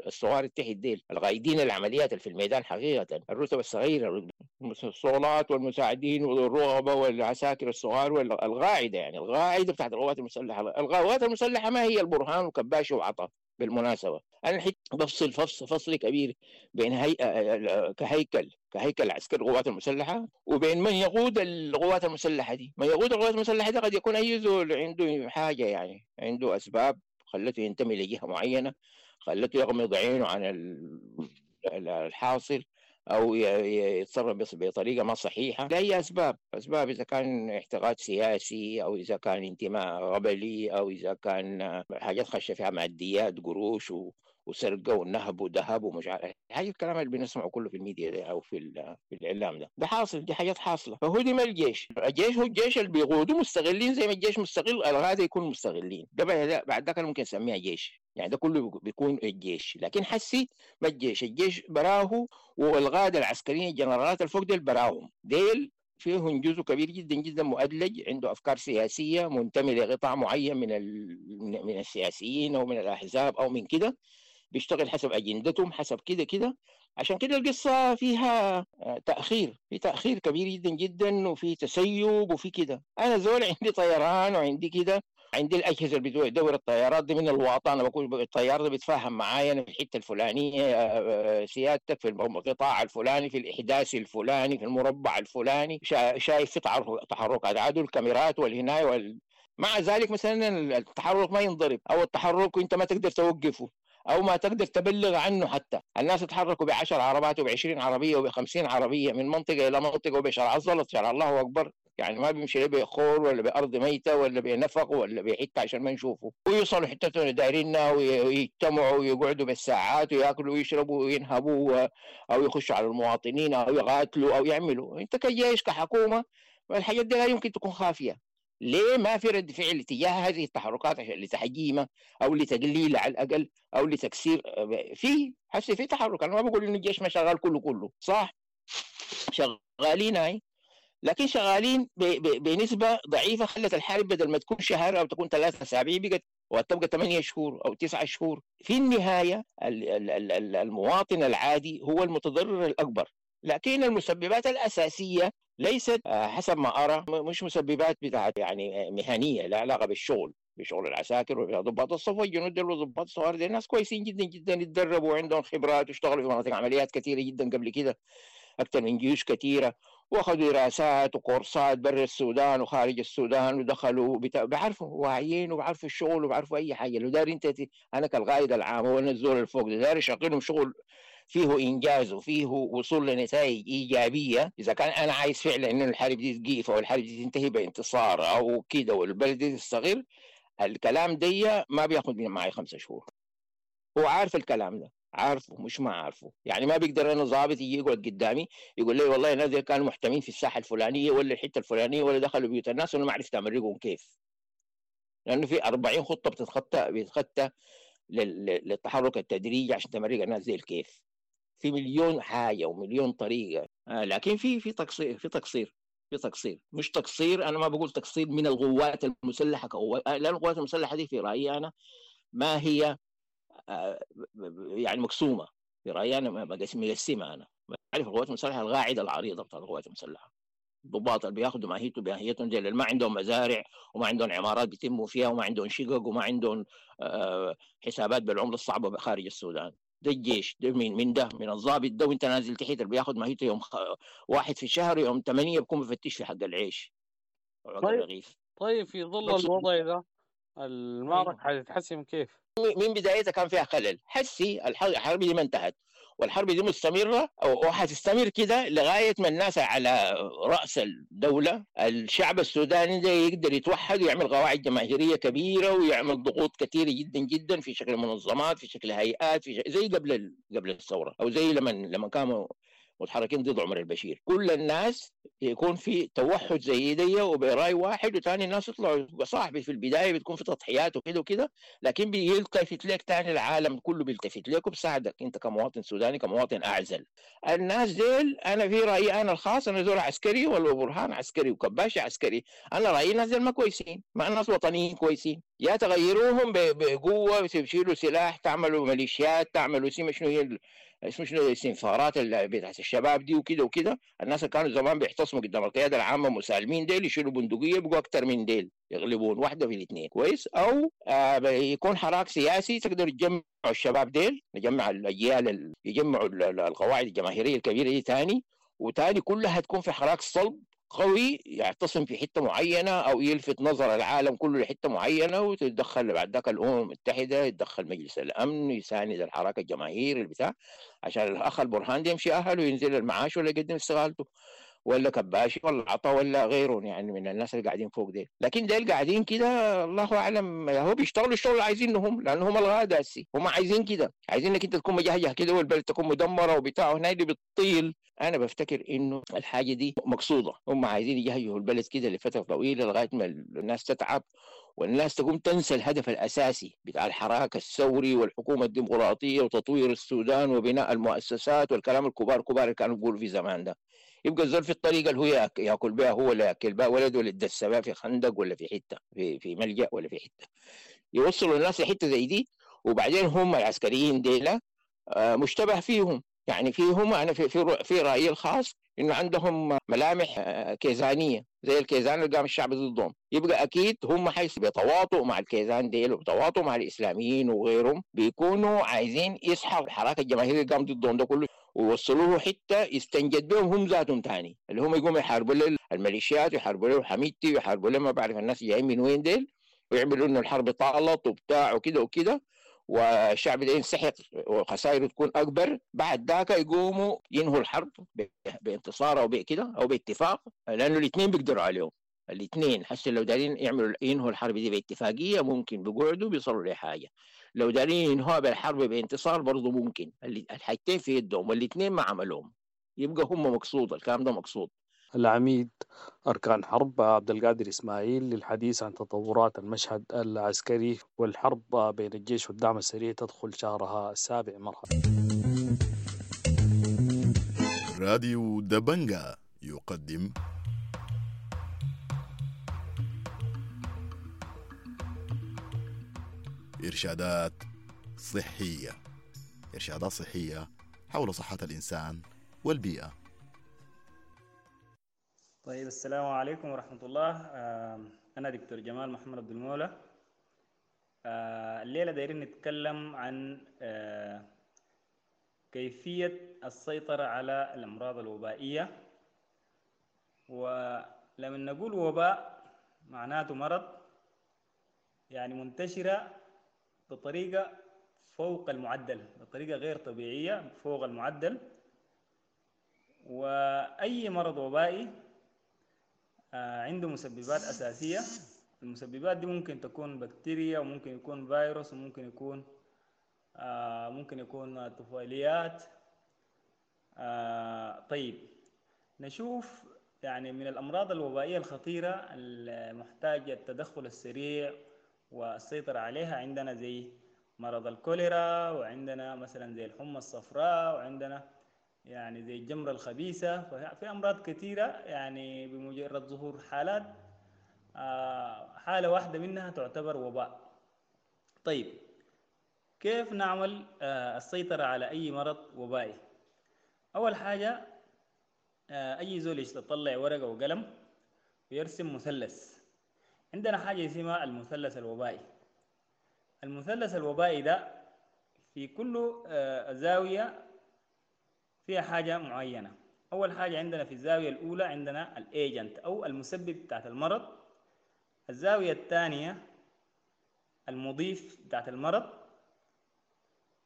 E: الصغار التحت ديل القائدين العمليات اللي في الميدان حقيقة، الرتب الصغيرة، الصولات والمساعدين والرغبة والعساكر الصغار والقاعدة، يعني القاعدة بتاعت القوات المسلحة. القوات المسلحة ما هي البرهان وكباشي وعطا بالمناسبة. أنا الحين بفصل فصل فصل كبير بين هيئة كهيكل كهيكل عسكري القوات المسلحة وبين من يقود القوات المسلحة دي. من يقود القوات المسلحة دي قد يكون أي زول عنده حاجة، يعني عنده أسباب خلته ينتمي لجهة معينة، خلته يغمض عينه عن الحاصل أو يتصرف بطريقة ما صحيحة لأي أسباب، أسباب إذا كان اعتقاد سياسي أو إذا كان انتماء قبلي أو إذا كان حاجات خشة فيها ماديات قروش و وسرقة ونهب وذهب ومش عارف هاي الكلام اللي بنسمعه كله في الميديا ده او في في الاعلام ده، ده حاصل، دي حاجات حاصله. فهو دي ما الجيش، الجيش هو الجيش اللي بيقودوا مستغلين زي ما الجيش مستغل الغادة يكون مستغلين، ده بعد ده كان ممكن نسميها جيش، يعني ده كله بيكون الجيش. لكن حسي ما الجيش، الجيش براه والغاده العسكريين الجنرالات الفوق ديل براهم، ديل فيهم جزء كبير جدا جدا مؤدلج عنده افكار سياسية منتمي لقطاع معين من من السياسيين او من الاحزاب او من كده، بيشتغل حسب اجندتهم حسب كده كده. عشان كده القصة فيها تاخير، في تاخير كبير جدا جدا، وفي تسيب وفي كده. انا زول عندي طيران وعندي كده، عندي الاجهزة اللي بتدور الطيارات دي من الواطه، انا بقول الطيار ده بيتفاهم معايا انا في الحتة الفلانية، سيادتك في القطاع الفلاني، في الاحداث الفلاني، في المربع الفلاني، شايف في تحركات عدو، الكاميرات والهنايه وال... مع ذلك مثلا التحرك ما ينضرب، او التحرك انت ما تقدر توقفه او ما تقدر تبلغ عنه. حتى الناس تحركوا بعشر عربات وبعشرين عربية وبخمسين عربية من منطقة الى منطقة، وبشرع الزلط، شرع الله اكبر، يعني ما بيمشي لا بخور ولا بارض ميته ولا بنفق ولا بحته عشان ما نشوفه، ويوصلوا حتتهم دايريننا ويجتمعوا ويقعدوا بالساعات وياكلوا ويشربوا وينهبوا او يخشوا على المواطنين او يقاتلوا او يعملوا. انت كجيش كحكومة الحاجات دي لا يمكن تكون خافية. ليه ما في رد فعل تجاه هذه التحركات عشان لتحجيمها او لتقليلها على الاقل او لتكسير؟ في حسي في تحرك، انا ما بقول انه الجيش ما شغال كله كله صح، شغالين هاي، لكن شغالين بنسبة ضعيفة خلت الحرب بدل ما تكون شهر او تكون ثلاثة اسابيع بقت وتبقى ثمانية شهور او تسعة شهور. في النهاية المواطن العادي هو المتضرر الاكبر، لكن المسببات الاساسية ليست حسب ما ارى مش مسببات بتاعت يعني مهنية لا علاقة بالشغل، بشغل العساكر وضباط الصف والجنود وضباط الصغار، دي ناس كويسين جدا جدا، يتدربوا وعندهم خبرات واشتغلوا في مناطق عمليات كثيرة جدا قبل كده، اكثر من جيوش كثيرة، واخذوا دراسات وكورسات برا السودان وخارج السودان، ودخلوا بتا... بيعرفوا واعيين وبيعرفوا الشغل وبيعرفوا اي حاجة. لو داري انت انا كالقائد العام وانا الزول الفوق ده داري شغلهم شغل فيه انجاز وفيه وصول لنتائج ايجابية، اذا كان انا عايز فعلا انه الحرب دي تقيف او الحرب دي تنتهي بانتصار او كده والبلد دي تستقر، الكلام دي ما بياخذ معي خمسة شهور. هو عارف الكلام ده، عارفه مش ما عارفه، يعني ما بيقدر انا ضابط يجي يقعد قدامي يقول لي والله الناس دي كانوا محتمين في الساحة الفلانية ولا الحتة الفلانية ولا دخلوا بيوت الناس وانا ما عرفت امرقهم كيف، لانه في أربعين خطه بتتخطى بيتخطى للتحرك التدريجي عشان تمرق الناس زي الكيف، في مليون حاجة ومليون طريقه. آه لكن في في تقصير، في تقصير في تقصير مش تقصير، انا ما بقول تقصير من القوات المسلحة كقوات، لان القوات المسلحة دي في رايي انا ما هي يعني مقسومة، في رايي انا مقسمة. انا بعرف القوات المسلحة القاعدة العريضة بتاع القوات المسلحة، الضباط اللي بياخذوا ماهيته بماهيتهم دي، اللي ما عندهم مزارع وما عندهم عمارات بيتموا فيها وما عندهم شقق وما عندهم حسابات بالعملة الصعبة خارج السودان. ده الجيش ده من من ده من الضابط ده وانت نازل تحت اللي بياخذ ماهيته يوم خ... واحد في الشهر يوم ثمانية بيكون بفتش في حق العيش.
G: طيب طيب في ظل الوضع ده المعركة حتتحسم كيف؟
E: من بدايتها كان فيها خلل، حسي الحرب دي ما انتهت والحرب دي مستمرة وحتستمر كده لغاية ما الناس على رأس الدولة الشعب السوداني ده يقدر يتوحد ويعمل قواعد جماهيرية كبيرة ويعمل ضغوط كثيرة جدا جدا في شكل منظمات، في شكل هيئات، في شكل زي قبل قبل الثورة أو زي لما لما كانوا متحركين ضد عمر البشير، كل الناس يكون في توحد زي دي وبراي واحد، وثاني الناس يطلعوا صاحبي في البداية بتكون في تضحيات وكده وكده، لكن بيلتفت لك ثاني العالم كله بيلتفت لك وبساعدك انت كمواطن سوداني كمواطن اعزل. الناس ديل انا في رايي انا الخاص، انا زول عسكري ولا برهان عسكري وكباشي عسكري، انا رايي الناس ديل ما كويسين، ما الناس وطنيين كويسين، يا تغيروهم بقوة تشيلوا سلاح تعملوا ميليشيات تعملوا سيما شنو هي اسمه شنو الاستنفارات اللي بتاعت الشباب دي وكده وكده. الناس اللي كانوا زمان بيعتصموا قدام القيادة العامة مسالمين ديل يشيلوا بندقية بقوا اكثر من ديل يغلبون واحدة في الاثنين كويس، او آه يكون حراك سياسي تقدر تجمع الشباب ديل، نجمع الاجيال يجمعوا القواعد الجماهيرية الكبيرة دي ثاني وثاني، كلها تكون في حراك صلب قوي يعتصم في حتة معينة او يلفت نظر العالم كله لحته معينة، وتتدخل بعد ذاك الامم المتحدة، يتدخل مجلس الامن، يساند الحراك الجماهيري البتاع عشان الاخ البرهان ده يمشي اهله وينزل المعاش ولا يقدم استقالته ولا كباشي ولا عطا ولا غيره يعني من الناس اللي قاعدين فوق ديل. لكن ديل قاعدين كده الله اعلم هو بيشتغلوا الشغل اللي عايزينه هم، لان هم الغادة هسي هم عايزين كده، عايزين انك انت تكون مجهجه كده والبلد تكون مدمرة وبتاع وهنا اللي بتطيل. انا بفتكر انه الحاجة دي مقصوده، هم عايزين يجهجوا البلد كده لفترة طويلة لغاية ما الناس تتعب والناس تقوم تنسى الهدف الاساسي بتاع الحراك الثوري والحكومة الديمقراطية وتطوير السودان وبناء المؤسسات والكلام الكبار كبار اللي كانوا بيقولوا في زمان ده. يبقى الزول في الطريقة اللي هو ياكل بها هو ولا ياكل بها ولده ولا يدس بها في خندق ولا في حتة في في ملجا ولا في حتة، يوصلوا الناس لحته زي دي وبعدين هم العسكريين ديلا مشتبه فيهم، يعني فيهم أنا في في في رأيي الخاص إنه عندهم ملامح كيزانية زي الكيزان اللي قام الشعب ضدهم، يبقى أكيد هم حيث بيتواطؤوا مع الكيزان ديل وبيتواطؤوا مع الإسلاميين وغيرهم، بيكونوا عايزين يسحبوا الحراك الجماهيري اللي قام ضدهم ده كله ووصلوه حتى يستنجد بهم هم ذاتهم تاني، اللي هم يقوموا يحاربوا له الميليشيات ويحاربوا له حميدتي ويحاربوا له ما بعرف الناس جايين من وين ديل، ويعملوا إنه الحرب طالت وبتاع وكده وكده، والشعب ده ينسحق وخسائره تكون أكبر. بعد ذاك يقوموا ينهوا الحرب بانتصار أو بكده أو باتفاق، لأنه الاثنين بيقدروا عليهم الاثنين. حتى لو دارين يعملوا ينهوا الحرب دي باتفاقية ممكن بيقعدوا بيصلوا لحاجة، لو دارين ينهوها بالحرب بانتصار برضو ممكن، الحاجتين في يدهم والاثنين ما عملوهم، يبقى هم مقصود، الكلام ده مقصود.
G: العميد أركان حرب عبد القادر إسماعيل للحديث عن تطورات المشهد العسكري والحرب بين الجيش والدعم السريع تدخل شهرها السابع. مرحبا.
H: راديو دبنجا يقدم إرشادات صحية، إرشادات صحية حول صحة الإنسان والبيئة.
I: طيب، السلام عليكم ورحمة الله. أنا دكتور جمال محمد عبد المولى. الليلة دايرين نتكلم عن كيفية السيطرة على الأمراض الوبائية. ولما نقول وباء معناته مرض يعني منتشرة بطريقة فوق المعدل، بطريقة غير طبيعية فوق المعدل. وأي مرض وبائي عنده مسببات أساسية. المسببات دي ممكن تكون بكتيريا، وممكن يكون فيروس، وممكن يكون ممكن يكون طفيليات. طيب، نشوف يعني من الأمراض الوبائية الخطيرة المحتاجة التدخل السريع والسيطرة عليها عندنا زي مرض الكوليرا، وعندنا مثلا زي الحمى الصفراء، وعندنا يعني زي الجمرة الخبيثة. ففي أمراض كثيرة يعني بمجرد ظهور حالات حالة واحدة منها تعتبر وباء. طيب، كيف نعمل السيطرة على أي مرض وبائي؟ أول حاجة أي زول يطلع ورقة وقلم ويرسم مثلث. عندنا حاجة اسمها المثلث الوبائي. المثلث الوبائي ده في كل زاوية فيها حاجة معينة. أول حاجة عندنا في الزاوية الأولى عندنا الأيجنت أو المسبب بتاعت المرض. الزاوية الثانية المضيف بتاعت المرض.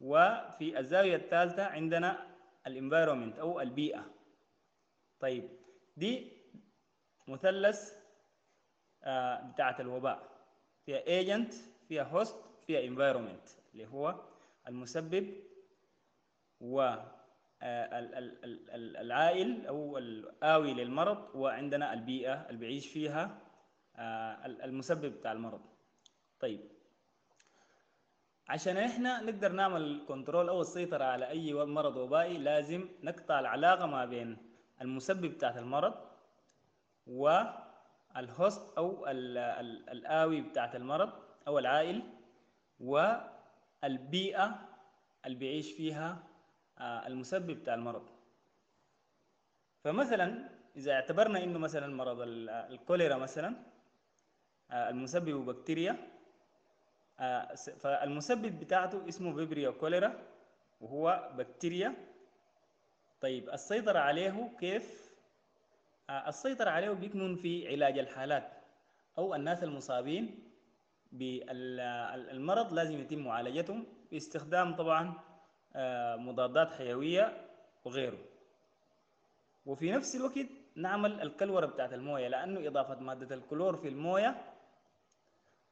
I: وفي الزاوية الثالثة عندنا ال environment أو البيئة. طيب، دي مثلث بتاعت الوباء، فيها agent، فيها host، فيها environment اللي هو المسبب و العائل أو الآوي للمرض، وعندنا البيئة اللي بيعيش فيها المسبب بتاع المرض. طيب، عشان احنا نقدر نعمل control أو السيطرة على أي مرض وبائي لازم نقطع العلاقة ما بين المسبب بتاعت المرض وال host أو الآوي بتاعت المرض أو العائل والبيئة اللي بيعيش فيها المسبب بتاع المرض. فمثلا إذا اعتبرنا إنه مثلا مرض الكوليرا مثلا المسبب بكتيريا، فالمسبب بتاعته اسمه Vibrio cholerae وهو بكتيريا. طيب، السيطرة عليه كيف؟ السيطرة عليه بيكمن في علاج الحالات أو الناس المصابين بالمرض، لازم يتم معالجتهم باستخدام طبعا مضادات حيوية وغيره. وفي نفس الوقت نعمل الكلورة بتاعت الموية، لأنه إضافة مادة الكلور في الموية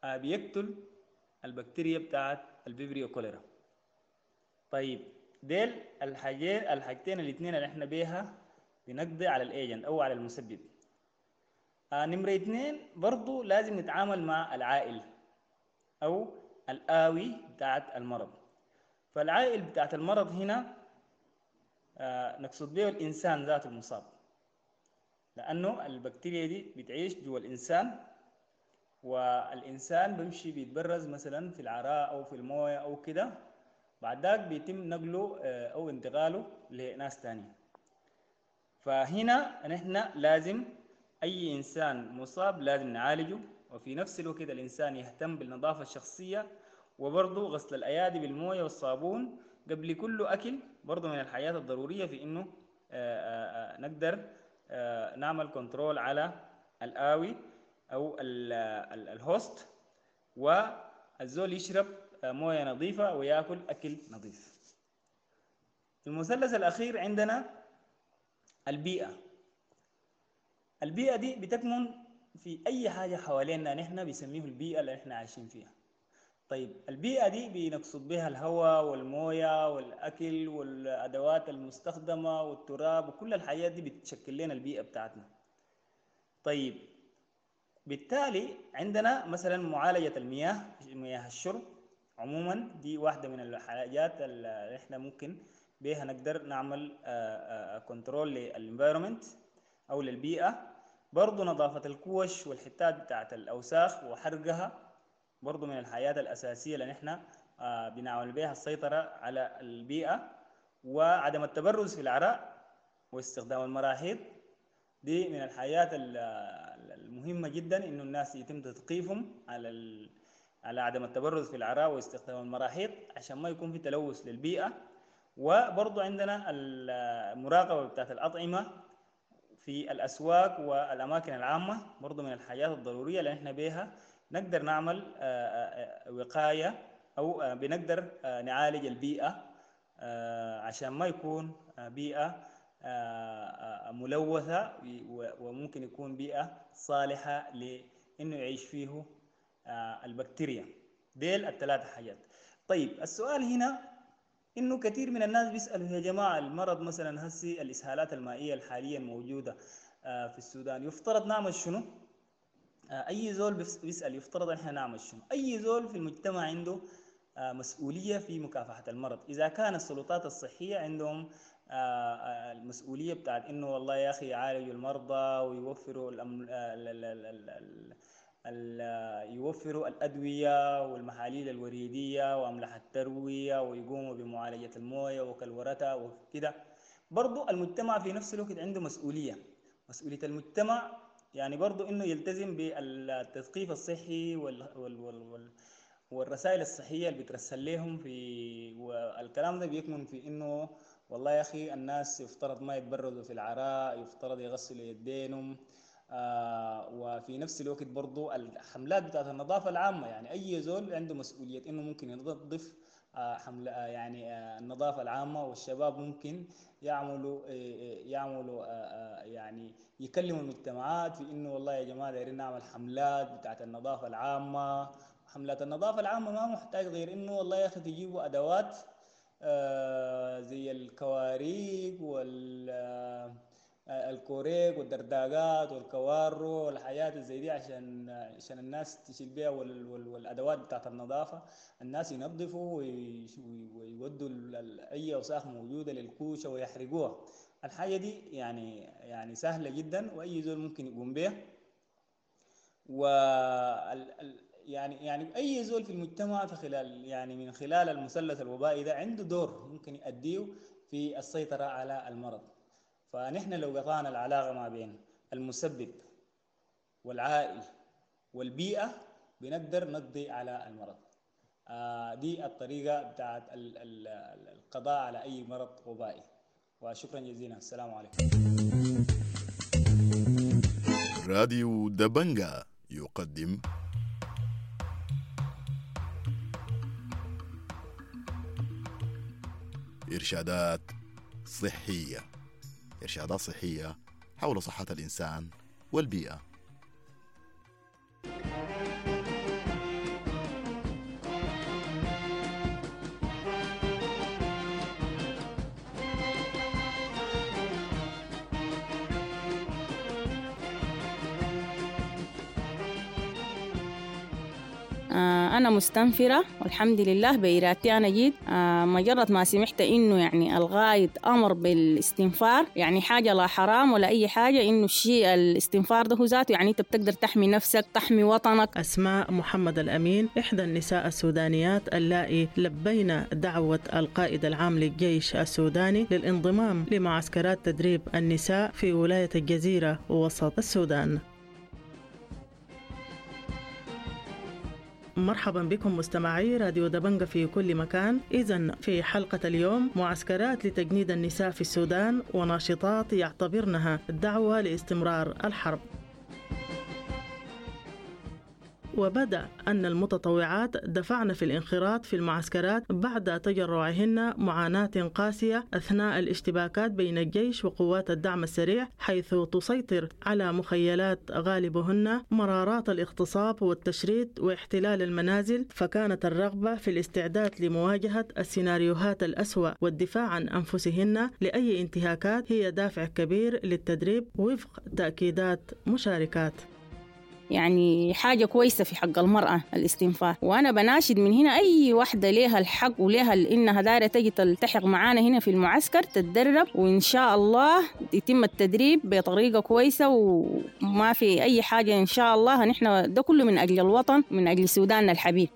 I: بيقتل البكتيريا بتاعت ال Vibrio cholerae. طيب، ديل الحاجين الحاجتين الاثنين اللي احنا بيها بنقضي على ال agent او على المسبب. آه نمرة اثنين برضو لازم نتعامل مع العائل او الآوي بتاعت المرض. فالعائل بتاعت المرض هنا آه نقصد به الإنسان ذاته المصاب، لأنه البكتيريا دي بتعيش جوا الإنسان والإنسان بيمشي بيتبرز مثلا في العراء أو في الموية أو كده، بعد ذاك بيتم نقله أو انتقاله لناس تانية. فهنا نحن لازم أي إنسان مصاب لازم نعالجه، وفي نفس الوقت الإنسان يهتم بالنظافة الشخصية، وبرضه غسل الأيادي بالموية والصابون قبل كل أكل، برضه من الحاجات الضرورية في إنه نقدر نعمل control على الآوي أو ال host، والزول يشرب موية نظيفة ويأكل أكل نظيف. المثلث الأخير عندنا البيئة. البيئة دي بتكمن في أي حاجة حوالينا نحن بيسميه البيئة اللي احنا عايشين فيها. طيب البيئة دي بنقصد بها الهواء والموية والأكل والأدوات المستخدمة والتراب، وكل الحاجات دي بتشكل لنا البيئة بتاعتنا. طيب بالتالي عندنا مثلا معالجة المياه، مياه الشرب عموما دي واحدة من الحاجات اللي احنا ممكن بها نقدر نعمل control لل environment أو للبيئة. برضو نظافة الكوش والحتات بتاعت الأوساخ وحرقها برضو من الحاجات الأساسية اللي نحن بنعمل بها السيطرة على البيئة. وعدم التبرز في العراء واستخدام المراحيض دي من الحاجات المهمة جدا، إنه الناس يتم تثقيفهم على ال... على عدم التبرز في العراء واستخدام المراحيض عشان ما يكون في تلوث للبيئة. وبرضو عندنا المراقبة بتاعت الأطعمة في الأسواق والأماكن العامة برضو من الحاجات الضرورية اللي احنا بيها نقدر نعمل وقاية أو بنقدر نعالج البيئة عشان ما يكون بيئة ملوثة، وممكن يكون بيئة صالحة لأنه يعيش فيه البكتيريا. ديل الثلاثة حاجات. طيب السؤال هنا إنه كثير من الناس بيسألوا يا جماعة المرض مثلا هسي الإسهالات المائية الحالية الموجودة في السودان يفترض نعمل شنو؟ أي زول بيسأل يفترض إحنا نعمل شنو؟ أي زول في المجتمع عنده مسؤولية في مكافحة المرض. إذا كان السلطات الصحية عندهم المسؤولية بتاعت إنه والله يا أخي يعالجوا المرضى ويوفروا الأم... ال... ال... ال... ال... يوفروا الأدوية والمحاليل الوريدية وأملاح التروية ويقوموا بمعالجة الموية وكلورتها وكده، برضو المجتمع في نفس الوقت عنده مسؤولية. مسؤولية المجتمع يعني برضو إنه يلتزم بالتثقيف الصحي وال... وال... وال... والرسائل الصحية اللي بترسل لهم في، والكلام ده بيكمن في إنه والله يا أخي الناس يفترض ما يتبرزوا في العراء، يفترض يغسلوا يدينهم، آه وفي نفس الوقت برضو الحملات بتاعت النظافة العامة، يعني أي زول عنده مسؤولية إنه ممكن ينظف آه حملة آه يعني آه النظافة العامة، والشباب ممكن يعملوا آه يعملوا آه يعني يكلموا المجتمعات في إنه والله يا جماعة دايرين نعمل حملات بتاعت النظافة العامة. حملات النظافة العامة ما محتاج غير إنه والله يا أخي تجيبوا أدوات آه زي الكواريك وال الكوريك والدرداقات والكوارو والحاجات زي دي عشان عشان الناس تشيل بيها، وال وال والادوات بتاعت النظافة الناس ينظفوا ويودوا اي اوساخ موجودة للكوشه ويحرقوها. الحاجة دي يعني يعني سهلة جدا واي زول ممكن يقوم بها. و يعني يعني اي زول في المجتمع في خلال يعني من خلال المثلث الوبائي ده عنده دور ممكن يؤديه في السيطرة على المرض. فنحن لو قطعنا العلاقة ما بين المسبب والعائل والبيئة بنقدر نقضي على المرض. آه دي الطريقة بتاعت القضاء على أي مرض وبائي. وشكرا جزيلا، السلام عليكم.
H: راديو دبنجا يقدم إرشادات صحية، إرشادات صحية حول صحة الإنسان والبيئة.
J: آه أنا مستنفرة والحمد لله بإرادتي أنا جيت. آه مجرد ما سمعت إنه يعني الغايد أمر بالاستنفار، يعني حاجة لا حرام ولا أي حاجة، إنه الشيء الاستنفار ده هو ذاته يعني أنت بتقدر تحمي نفسك، تحمي وطنك.
K: أسماء محمد الأمين إحدى النساء السودانيات اللائي لبينا دعوة القائد العام للجيش السوداني للانضمام لمعسكرات تدريب النساء في ولاية الجزيرة وسط السودان. مرحبا بكم مستمعي راديو دبنجة في كل مكان. إذن في حلقة اليوم معسكرات لتجنيد النساء في السودان وناشطات يعتبرنها دعوة لاستمرار الحرب. وبدأ أن المتطوعات دفعن في الانخراط في المعسكرات بعد تجرعهن معاناة قاسية أثناء الاشتباكات بين الجيش وقوات الدعم السريع، حيث تسيطر على مخيلات غالبهن مرارات الاغتصاب والتشريد واحتلال المنازل، فكانت الرغبة في الاستعداد لمواجهة السيناريوهات الأسوأ والدفاع عن أنفسهن لأي انتهاكات هي دافع كبير للتدريب وفق تأكيدات مشاركات.
J: يعني حاجة كويسة في حق المرأة الاستنفار، وأنا بناشد من هنا أي واحدة ليها الحق وليها إنها دايرة تجي تلتحق معانا هنا في المعسكر تتدرب، وإن شاء الله يتم التدريب بطريقة كويسة وما في أي حاجة إن شاء الله. نحن ده كله من أجل الوطن، من أجل سوداننا الحبيب.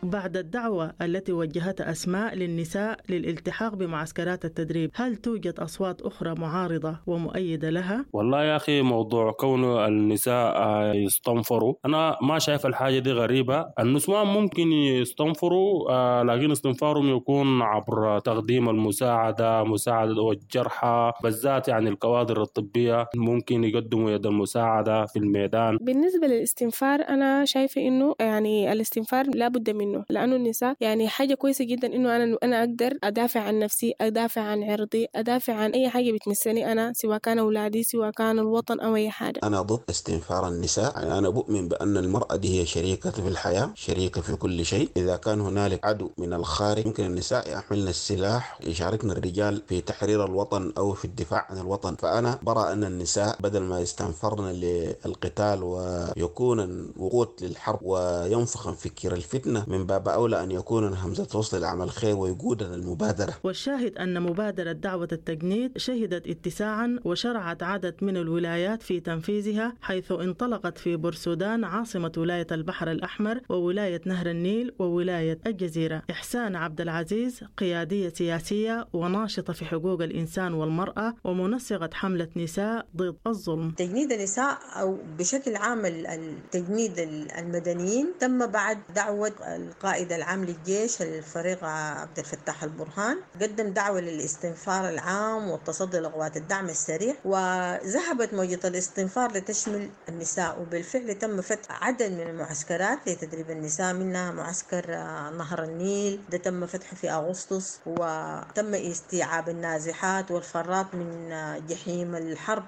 K: بعد الدعوة التي وجهتها أسماء للنساء للالتحاق بمعسكرات التدريب، هل توجد أصوات أخرى معارضة ومؤيدة لها؟
L: والله يا أخي موضوع كون النساء يستنفروا أنا ما شايف الحاجة دي غريبة. النسوان ممكن يستنفروا، لكن استنفارهم يكون عبر تقديم المساعدة، مساعدة والجرحى بالذات، يعني الكوادر الطبية ممكن يقدموا يد المساعدة في الميدان.
M: بالنسبة للاستنفار أنا شايفة إنه يعني الاستنفار لا بد منه، لأنه النساء يعني حاجة كويسة جدا إنه أنا أنا أقدر أدافع عن نفسي، أدافع عن عرضي، أدافع عن أي حاجة بتمسني أنا، سواء كان أولادي سواء كان الوطن أو أي حاجة.
N: أنا ضد استنفار النساء، يعني أنا بؤمن بأن المرأة دي هي شريكة في الحياة، شريكة في كل شيء. إذا كان هنالك عدو من الخارج يمكن النساء يحملن السلاح، يشاركن الرجال في تحرير الوطن أو في الدفاع عن الوطن. فأنا برى أن النساء بدل ما يستنفرن للقتال ويكون وقود للحرب وينفخن فكر الفتنة، من باب أولى أن يكون همزة وصل لعمل الخير ويقودنا المبادرة.
K: والشاهد أن مبادرة دعوة التجنيد شهدت اتساعا وشرعت عدد من الولايات في تنفيذها، حيث انطلقت في بورسودان عاصمة ولاية البحر الأحمر وولاية نهر النيل وولاية الجزيرة. إحسان عبد العزيز قيادية سياسية وناشطة في حقوق الإنسان والمرأة ومنسقة حملة نساء ضد الظلم.
O: تجنيد النساء أو بشكل عام التجنيد المدنيين تم بعد دعوة القائد العام للجيش الفريق عبد الفتاح البرهان، قدم دعوة للاستنفار العام والتصدي لقوات الدعم السريع، وذهبت موجة الاستنفار لتشمل النساء، وبالفعل تم فتح عدد من المعسكرات لتدريب النساء، منها معسكر نهر النيل ده تم فتحه في أغسطس، وتم استيعاب النازحات والفرات من جحيم الحرب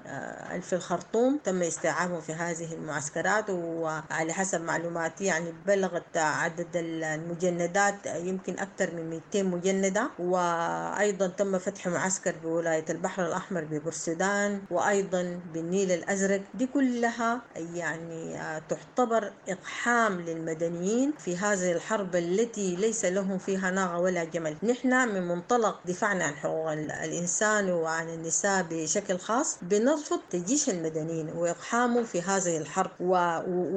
O: في الخرطوم، تم استيعابهم في هذه المعسكرات. وعلى حسب معلوماتي يعني بلغت عدد المجندات يمكن أكثر من مئتين مجندة. وأيضا تم فتح معسكر بولاية البحر الأحمر ببورسودان وأيضا بالنيل الأزرق. دي كلها يعني تعتبر إقحام للمدنيين في هذه الحرب التي ليس لهم فيها ناقة ولا جمل. نحن من منطلق دفاعنا عن حقوق الإنسان وعن النساء بشكل خاص بنرفض تجيش المدنيين وإقحامهم في هذه الحرب، و...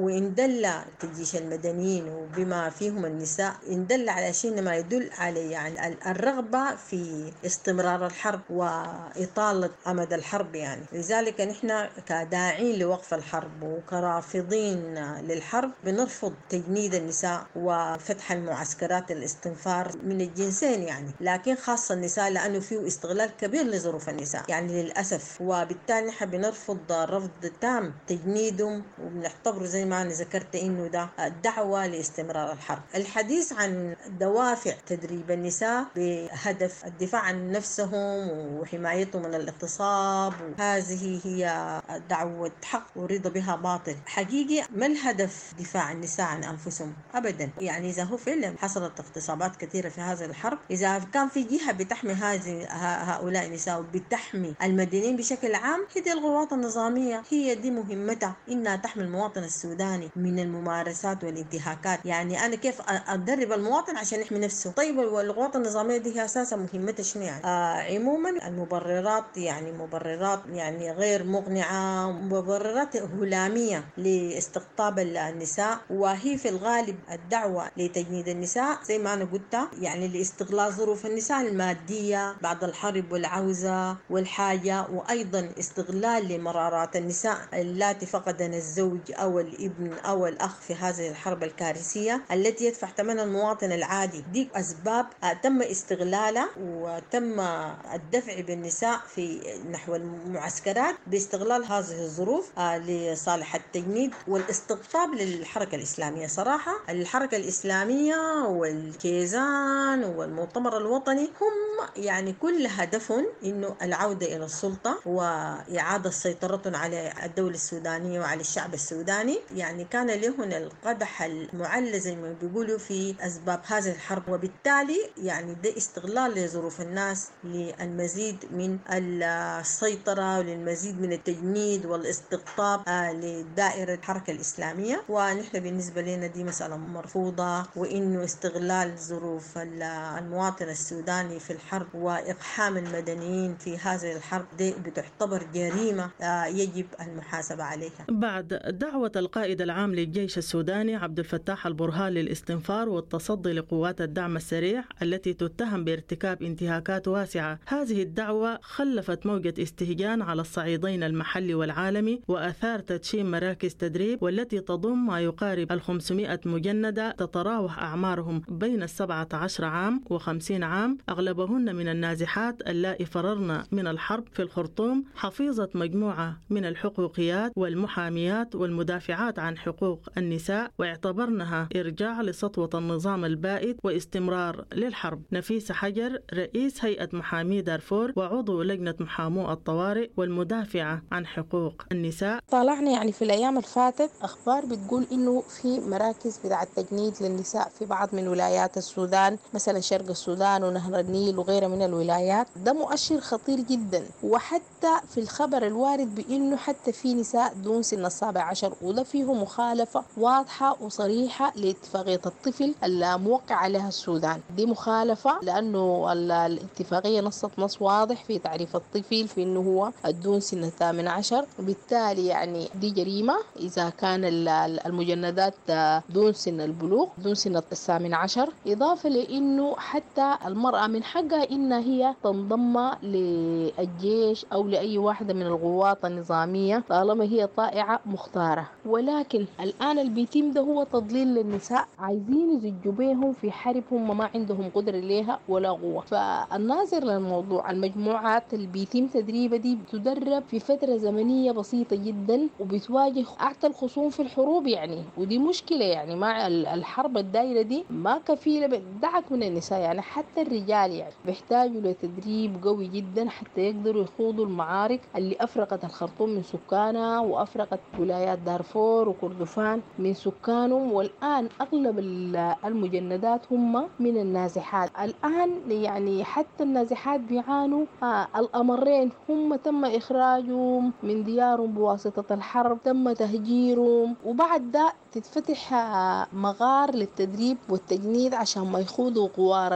O: وإن دل تجيش المدنيين وبما فيهم النساء إن دل على شيء ما يدل على يعني الرغبة في استمرار الحرب وإطالة أمد الحرب. يعني لذلك نحن كداعين لوقف الحرب وكرافضين للحرب بنرفض تجنيد النساء وفتح المعسكرات الاستنفار من الجنسين يعني، لكن خاصة النساء لأنه فيه استغلال كبير لظروف النساء يعني للأسف. وبالتالي نحن بنرفض رفض تام تجنيدهم، وبنعتبره زي ما أنا ذكرت إنه ده دعوة لاستمرار الحرب. الحديث عن دوافع تدريب النساء بهدف الدفاع عن نفسهم وحمايتهم من الاغتصاب، هذه هي دعوة حق ورضا بها باطل. حقيقي ما الهدف دفاع النساء عن أنفسهم أبدا. يعني إذا هو فعلا حصلت اغتصابات كثيرة في هذه الحرب، إذا كان في جهة بتحمي هذه هؤلاء النساء وبتحمي المدنيين بشكل عام، هي دي القوات النظامية، هي دي مهمتها، إنها تحمي المواطن السوداني من الممارسات والانتهاكات. يعني أنا كيف أدرب المواطن عشان يحمي نفسه؟ طيب والقوات النظامية دي هي أساسا مهمتها شنو يعني؟ آه عموما المبررات يعني مبررات يعني غير مقنعة، مبررات هلامية لاستقطاب النساء، وهي في الغالب الدعوة لتجنيد النساء زي ما أنا قلت، يعني لاستغلال ظروف النساء المادية بعد الحرب والعوزة والحاجة، وأيضا استغلال لمرارات النساء اللاتي فقدن الزوج أو الابن أو الأخ في هذه الحرب الكارثية التي يدفع ثمنها المواطن العادي. دي أسباب تم استغلالها وتم الدفع بالنساء في نحو المعسكرات باستغلال هذه الظروف لصالح التجنيد والاستقطاب للحركة الإسلامية. صراحة الحركة الإسلامية والكيزان والمؤتمر الوطني هم يعني كل هدفهم إنه العودة إلى السلطة وإعادة سيطرتهم على الدولة السودانية وعلى الشعب السوداني. يعني كان لهم القدح المعلى زي ما بيقولوا في أسباب هذه الحرب، وبالتالي يعني ده استغلال لظروف الناس للمزيد من السيطرة وللمزيد من التجنيد والاستقطاب لدائرة الحركة الإسلامية. ونحن بالنسبة لنا دي مسألة مرفوضة، وإنه استغلال ظروف المواطن السوداني في الحرب وإقحام المدنيين في هذه الحرب دي بتعتبر جريمة يجب المحاسبة عليها.
K: بعد دعوة القائد العام للجيش السوداني عبد الفتاح البرهان للاستنفار والتصدي لقوات الدعم السريع التي تتهم بارتكاب انتهاكات واسعة، هذه الدعوة خلفت موجة استهجان على الصعيدين المحلي والعالمي، وأثار تدشين مراكز تدريب والتي تضم ما يقارب الخمسمائة مجندة تتراوح أعمارهم بين السبعة عشر عام وخمسين عام، أغلبهن من النازحات اللائي فررن من الحرب في الخرطوم، حفيظة مجموعة من الحقوقيات والمحاميات والمدافعات عن حقوق النساء، واعتبرنها إرجاع لسطوة النظام البائد واستمرار للحرب. نفيسة حجر رئيس هيئة محامي دارفور وعضو لجنة محامو الطوارئ والمدافعة عن حقوق النساء:
P: طالعنا يعني في الأيام الفاتت أخبار بتقول إنه في مراكز بتاع التجنيد للنساء في بعض من ولايات السودان، مثلا شرق السودان ونهر النيل وغيرها من الولايات. ده مؤشر خطير جدا. وحتى في الخبر الوارد بإنه حتى في نساء دون سن السابع عشر، وده فيه مخالفة واضحة وصريحة لاتفاقية الطفل الموقع عليها السودان. دي مخالفة لأنه الاتفاقية نصت نص واضح في تعريف الطفل في إنه هو دون سن الثامن عشر، وبالتالي يعني دي جريمة إذا كان المجندات دون سن البلوغ، دون سن الثامن عشر. إضافة لأنه حتى المرأة من حقها إن هي تنضم للجيش أو لأي واحدة من القوات النظامية طالما هي طائعة مختارة. ولكن الآن البيتم ده هو تضليل للنساء، عايزين يزجوا بيهم في حرب هم ما عندهم قدرة ليها ولا قوة. فالناظر للموضوع، المجموعات اللي بيتم تدريبها دي بتدرب في فترة زمنية بسيطة جدا وبتواجه أعتى الخصوم في الحروب يعني، ودي مشكلة يعني. مع الحرب الدائرة دي ما كفيلة بدعك من النساء يعني، حتى الرجال يعني بيحتاجوا لتدريب قوي جدا حتى يقدروا يخوضوا المعارك اللي أفرقت الخرطوم من سكانها وأفرقت ولايات دارفور وكردفان من سكانهم. والآن أغلب المجندات هم من النازحات الآن يعني، حتى النازحات بيعانوا آه الأمرين، هم تم إخراجهم من ديارهم بواسطة الحرب، تم تهجيرهم، وبعد ده تتفتح مغار للتدريب والتجنيد عشان ما يخوضوا غوار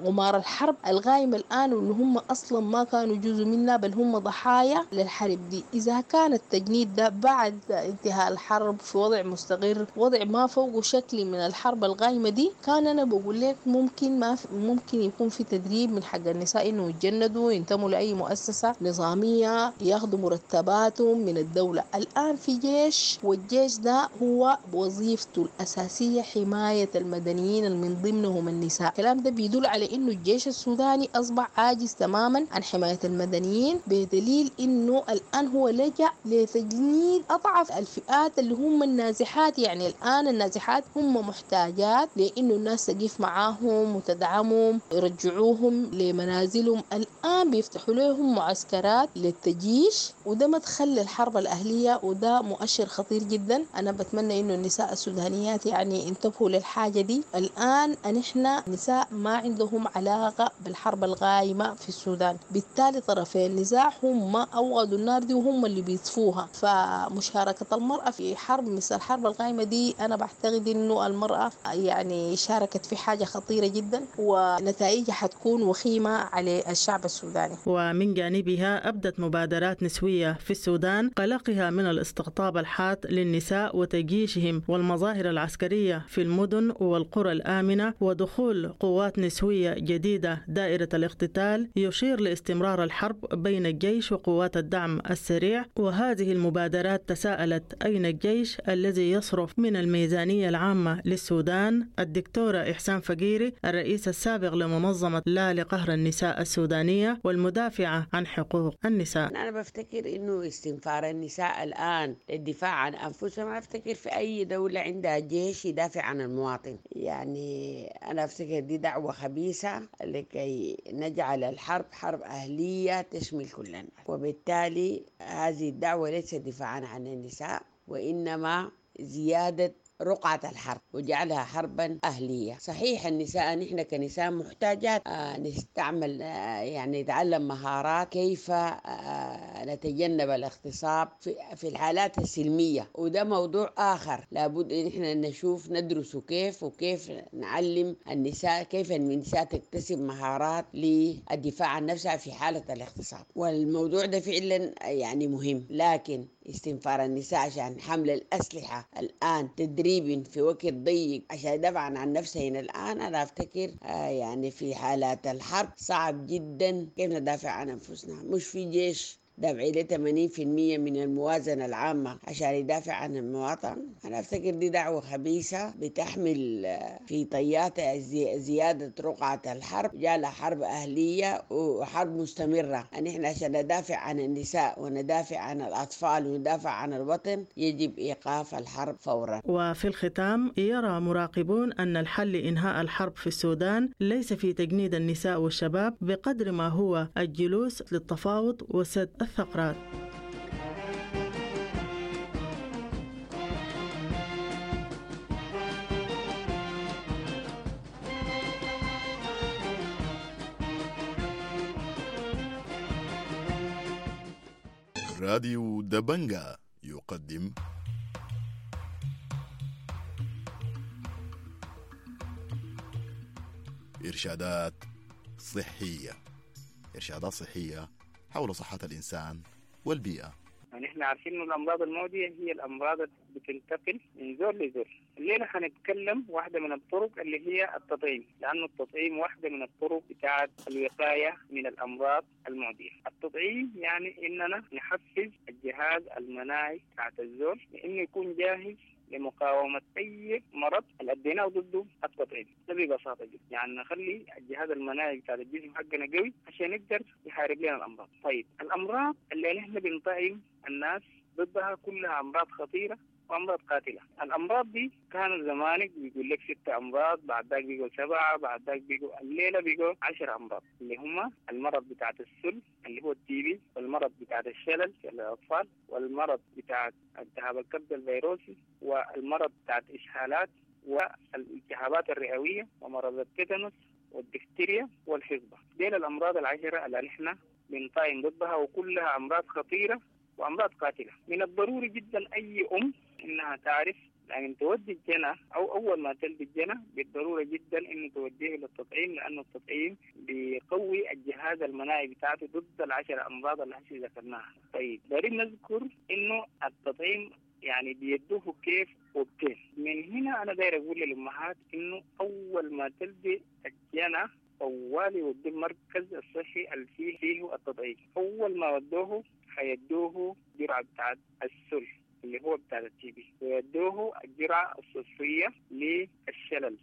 P: غمار الحرب الغايمة الآن، واللي هم أصلا ما كانوا جزء منها بل هم ضحايا للحرب دي. إذا كان التجنيد ده بعد انتهاء الحرب في وضع مستقر، وضع ما فوقه شكل من الحرب الغايمة دي، كان أنا بقول لك ممكن ما ممكن يكون في تدريب من حق النساء إنه يتجندوا، ينتموا لأي مؤسسة نظامية، ياخذوا مرتباتهم من الدولة. الآن في جيش، والجيش ده هو هو وظيفته الأساسية حماية المدنيين من ضمنهم النساء. الكلام ده بيدل على إنه الجيش السوداني أصبح عاجز تماما عن حماية المدنيين، بدليل إنه الآن هو لجأ لتجنيد أضعف الفئات اللي هم النازحات. يعني الآن النازحات هم محتاجات لإنه الناس تقف معاهم وتدعمهم، يرجعوهم لمنازلهم. الآن بيفتحوا لهم معسكرات للتجيش، وده مدخل للحرب الأهلية، وده مؤشر خطير جدا. أنا بتمنى إنه النساء السودانيات يعني انتبهوا للحاجة دي. الآن نحن نساء ما عندهم علاقة بالحرب الغايمة في السودان، بالتالي طرفي النزاع هم أوغدوا النار دي وهم اللي بيطفوها. فمشاركة المرأة في حرب مثل الحرب الغايمة دي أنا بعتقد إنه المرأة يعني شاركت في حاجة خطيرة جدا ونتائجها حتكون وخيمة على الشعب السوداني.
K: ومن جانبها أبدت مبادرات نسوية في السودان قلقها من الاستقطاب الحاد للنساء وتجيشهم والمظاهر العسكرية في المدن والقرى الآمنة ودخول قوات نسوية جديدة دائرة الاقتتال، يشير لاستمرار الحرب بين الجيش وقوات الدعم السريع. وهذه المبادرات تساءلت أين الجيش الذي يصرف من الميزانية العامة للسودان؟ الدكتورة إحسان فقيري الرئيس السابق لمنظمة لا لقهر النساء السودانية والمدافعة عن حقوق النساء.
Q: أنا بفتكر إنه استنفار النساء الآن للدفاع عن أنفسهم، أنا أفتكر في أي دولة عندها جيش يدافع عن المواطن. يعني أنا أفتكر دي دعوة خبيثة لكي نجعل الحرب حرب أهلية تشمل كل الناس، وبالتالي هذه الدعوة ليست دفاعا عن النساء وإنما زيادة رقعة الحرب وجعلها حربا أهلية. صحيح النساء نحن كنساء محتاجات آه نستعمل آه يعني نتعلم مهارات كيف آه نتجنب الاغتصاب في, في الحالات السلمية، وده موضوع آخر لابد إن احنا نشوف ندرسه كيف، وكيف نعلم النساء كيف النساء تكتسب مهارات للدفاع عن نفسها في حالة الاغتصاب. والموضوع ده فعلا يعني مهم، لكن استنفار النساء عشان حمل الأسلحة الآن تدريب في وقت ضيق عشان يدافعن عن نفسهن الآن، أنا أفتكر آه يعني في حالات الحرب صعب جدا كيف ندافع عن أنفسنا. مش في جيش دافع له ثمانين بالمئة من الموازنة العامة عشان يدافع عن المواطن. أنا أفتكر دي دعوة خبيثة بتحمل في طياتها زيادة رقعة الحرب، جالها حرب أهلية وحرب مستمرة. أن إحنا عشان ندافع عن النساء وندافع عن الأطفال وندافع عن الوطن يجب إيقاف الحرب فورا.
K: وفي الختام يرى مراقبون أن الحل لإنهاء الحرب في السودان ليس في تجنيد النساء والشباب بقدر ما هو الجلوس للتفاوض وسد الثغرات.
H: راديو دبنجا يقدم إرشادات صحية. إرشادات صحية حول صحة الإنسان والبيئة.
R: يعني احنا عارفين انه الامراض المعدية هي الامراض اللي بتنتقل من زول لزول. الليلة حنتكلم واحدة من الطرق اللي هي التطعيم، لانه التطعيم واحدة من الطرق بتاعه الوقاية من الامراض المعدية. التطعيم يعني اننا نحفز الجهاز المناعي بتاعت الزول لانه يكون جاهز لمقاومة أي مرض اللي أديناه ضده التطعيم. ده ببساطة جدا، يعني نخلي الجهاز المناعي بتاع الجسم حقنا قوي عشان يقدر يحارب لنا الأمراض. طيب الأمراض اللي نحن بنطعم الناس ضدها كلها أمراض خطيرة وأمراض قاتلة. الأمراض دي كانوا زمانك بيقول لك ستة أمراض، بعد ذاك بيقول سبعة، بعد ذاك بيقول الليلة بيقول عشر أمراض، اللي هم المرض بتاعت السل اللي هو التي بي، والمرض بتاعت الشلل للأطفال، والمرض بتاع التهاب الكبد الفيروسي، والمرض بتاعت إسهالات والالتهابات الرئوية، ومرض التيتانوس والدفتيريا والحصبة. ديل الأمراض العشرة اللي نحن بنطعم ضدها، وكلها أمراض خطيرة وأمراض قاتلة. من الضروري جدا أي أم إنها تعرف لأن تودي الجنة أو أول ما تلد الجنة بالضرورة جدا إنه توديه للتطعيم، لأنه التطعيم بيقوي الجهاز المناعي بتاعته ضد العشر أمراض اللي هسه ذكرناها. طيب دارين نذكر إنه التطعيم يعني بيدوه كيف وبكيف. من هنا أنا داير أقول للأمهات إنه أول ما تلدي الجنة طوالي وديه المركز الصحي اللي فيه فيه التطعيم. أول ما ودوه حيدوه جرعة بتاعت السل، اللي هو بتاع ال TB، ويدوه الجرعة الصفرية للشلل.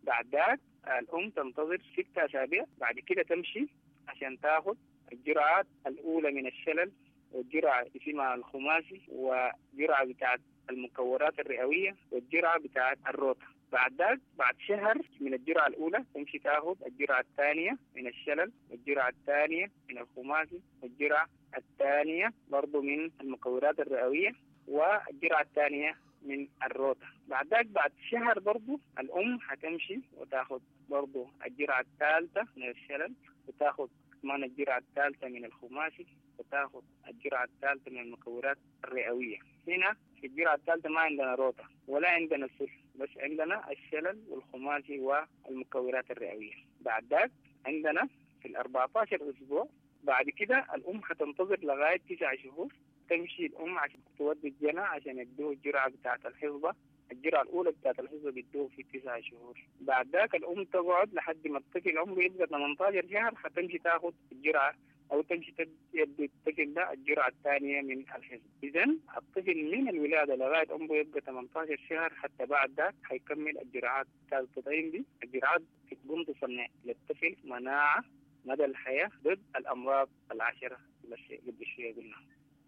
R: بعد ذاك الأم تنتظر ستة أسابيع، بعد كده تمشي عشان تاخد الجرعات الأولى من الشلل، والجرعة اسمها الخماسي، وجرعة بتاعت المكورات الرئوية، والجرعة بتاعت الروتا. بعد ذاك بعد شهر من الجرعة الأولى تمشي تاخد الجرعة الثانية من الشلل، والجرعة الثانية من الخماسي، والجرعة الثانية برضو من المكورات الرئوية، والجرعة الثانية من الروتا. بعد ذاك بعد شهر برضو الأم حتمشي وتاخد برضو الجرعة الثالثة من الشلل، وتاخد كمان الجرعة الثالثة من الخماسي، وتاخد الجرعة الثالثة من المكورات الرئوية. هنا في الجرعة الثالثة ما عندنا روتا ولا عندنا سل، بس عندنا الشلل والخماسي والمكورات الرئوية. بعد ذاك عندنا في ال أربعتاشر أسبوع، بعد كده الأم حتنتظر لغاية تسع شهور، تمشي الأم عشان تودي الجنى عشان يدوه الجرعة بتاعة الحصبة. الجرعة الأولى بتاعة الحصبة بيدوه في تسعة شهور. بعد ذاك الأم تقعد لحد ما الطفل عمره يبقى ثمانية عشر شهر، حتمشي تاخد الجرعة أو تمشي تدي الطفل ده الجرعة الثانية من الحصبة. إذن الطفل من الولادة لغاية عمره يبقى ثمانية عشر شهر، حتى بعد ذاك حيكمل الجرعات بتاعة التطعيم دي. الجرعات بتقوم تصنع للطفل مناعة مدى الحياة ضد الأمراض العشرة اللي قبل شوية قلنا.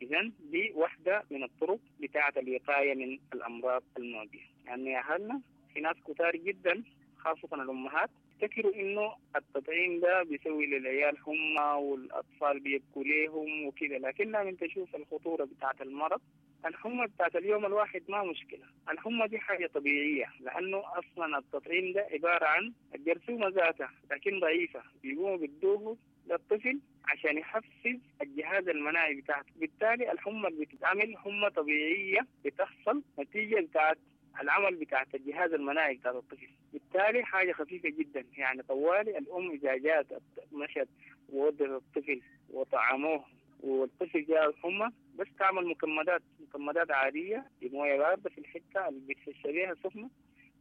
R: إذن دي واحدة من الطرق بتاعة الوقاية من الأمراض المعدية. يعني يا أهلنا في ناس كتار جدا خاصة الأمهات يفتكروا إنه التطعيم ده بيسوي للعيال حمى والأطفال بيبكوا ليهم وكده، لكن لما أنت تشوف الخطورة بتاعة المرض، الحمى بتاعت اليوم الواحد ما مشكلة، الحمى دي حاجة طبيعية، لأنه أصلا التطعيم ده عبارة عن الجرثومة ذاتها لكن ضعيفة، بيقوموا بيدوه للطفل عشان يحفز الجهاز المناعي بتاعته. بالتالي الحمى اللي بتتعمل حمى طبيعية بتحصل نتيجة بتاعت العمل بتاعت الجهاز المناعي بتاع الطفل، بالتالي حاجة خفيفة جدا. يعني طوالي الأم إذا جات مشت وودت الطفل وطعموه والطفل جاء الحمى، بس تعمل مكمدات، مكمدات عادية بموية باردة في الحتة اللي بتحس بيها سخنة،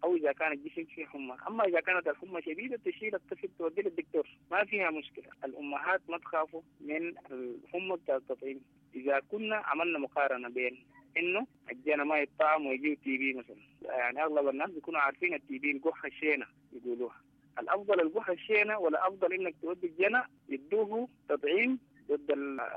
R: أو إذا كان الجسم فيه حمى. أما إذا كانت الحمى شديدة تشيل الطفل توديه للدكتور، ما فيها مشكلة. الأمهات ما تخافوا من الحمى بتاع التطعيم. إذا كنا عملنا مقارنة بين إنه الجنى ما يطعم ويجيب TB مثلا، يعني أغلب الناس بيكونوا عارفين ال TB القحة الشينة يقولوها، الأفضل القحة الشينة ولا أفضل إنك تودي الجنى يدوه تطعيم ضد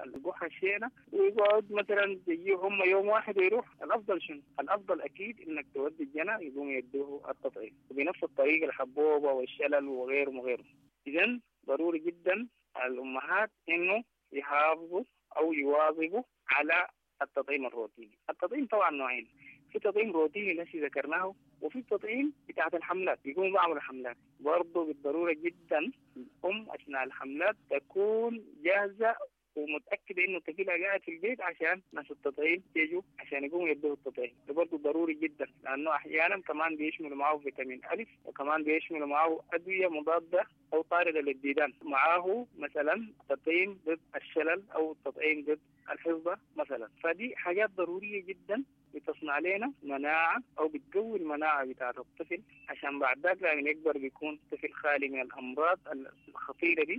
R: القحة الشينة ويقعد مثلا يجيه هم يوم واحد ويروح؟ الأفضل شنو؟ الأفضل أكيد إنك تودي الجنى يقوم يدوه التطعيم، وبنفس الطريقة الحبوبة والشلل وغيره وغيره. إذن ضروري جدا الأمهات إنه يحافظوا أو يواظبوا على التطعيم الروتيني. التطعيم طبعا نوعين، في تطعيم روتيني الذي ذكرناه، وفي تطعيم بتاعت الحملات، بيقوموا بعمل حملات. برضه بالضرورة جدا الأم أثناء الحملات تكون جاهزة ومتأكدة إنه طفلها قاعد في البيت عشان ناس التطعيم يجوا عشان يقوموا يدوه التطعيم. ده برضه ضروري جدا، لأنه أحيانا كمان بيشملوا معه فيتامين ألف، وكمان بيشملوا معه أدوية مضادة أو طاردة للديدان، معاه مثلا تطعيم ضد الشلل أو تطعيم ضد الحصبة مثلا. فدي حاجات ضرورية جدا بتصنع لنا مناعة أو بتقوي المناعة بتاعة الطفل، عشان بعد ذاك لما يكبر بيكون طفل خالي من الأمراض الخطيرة دي.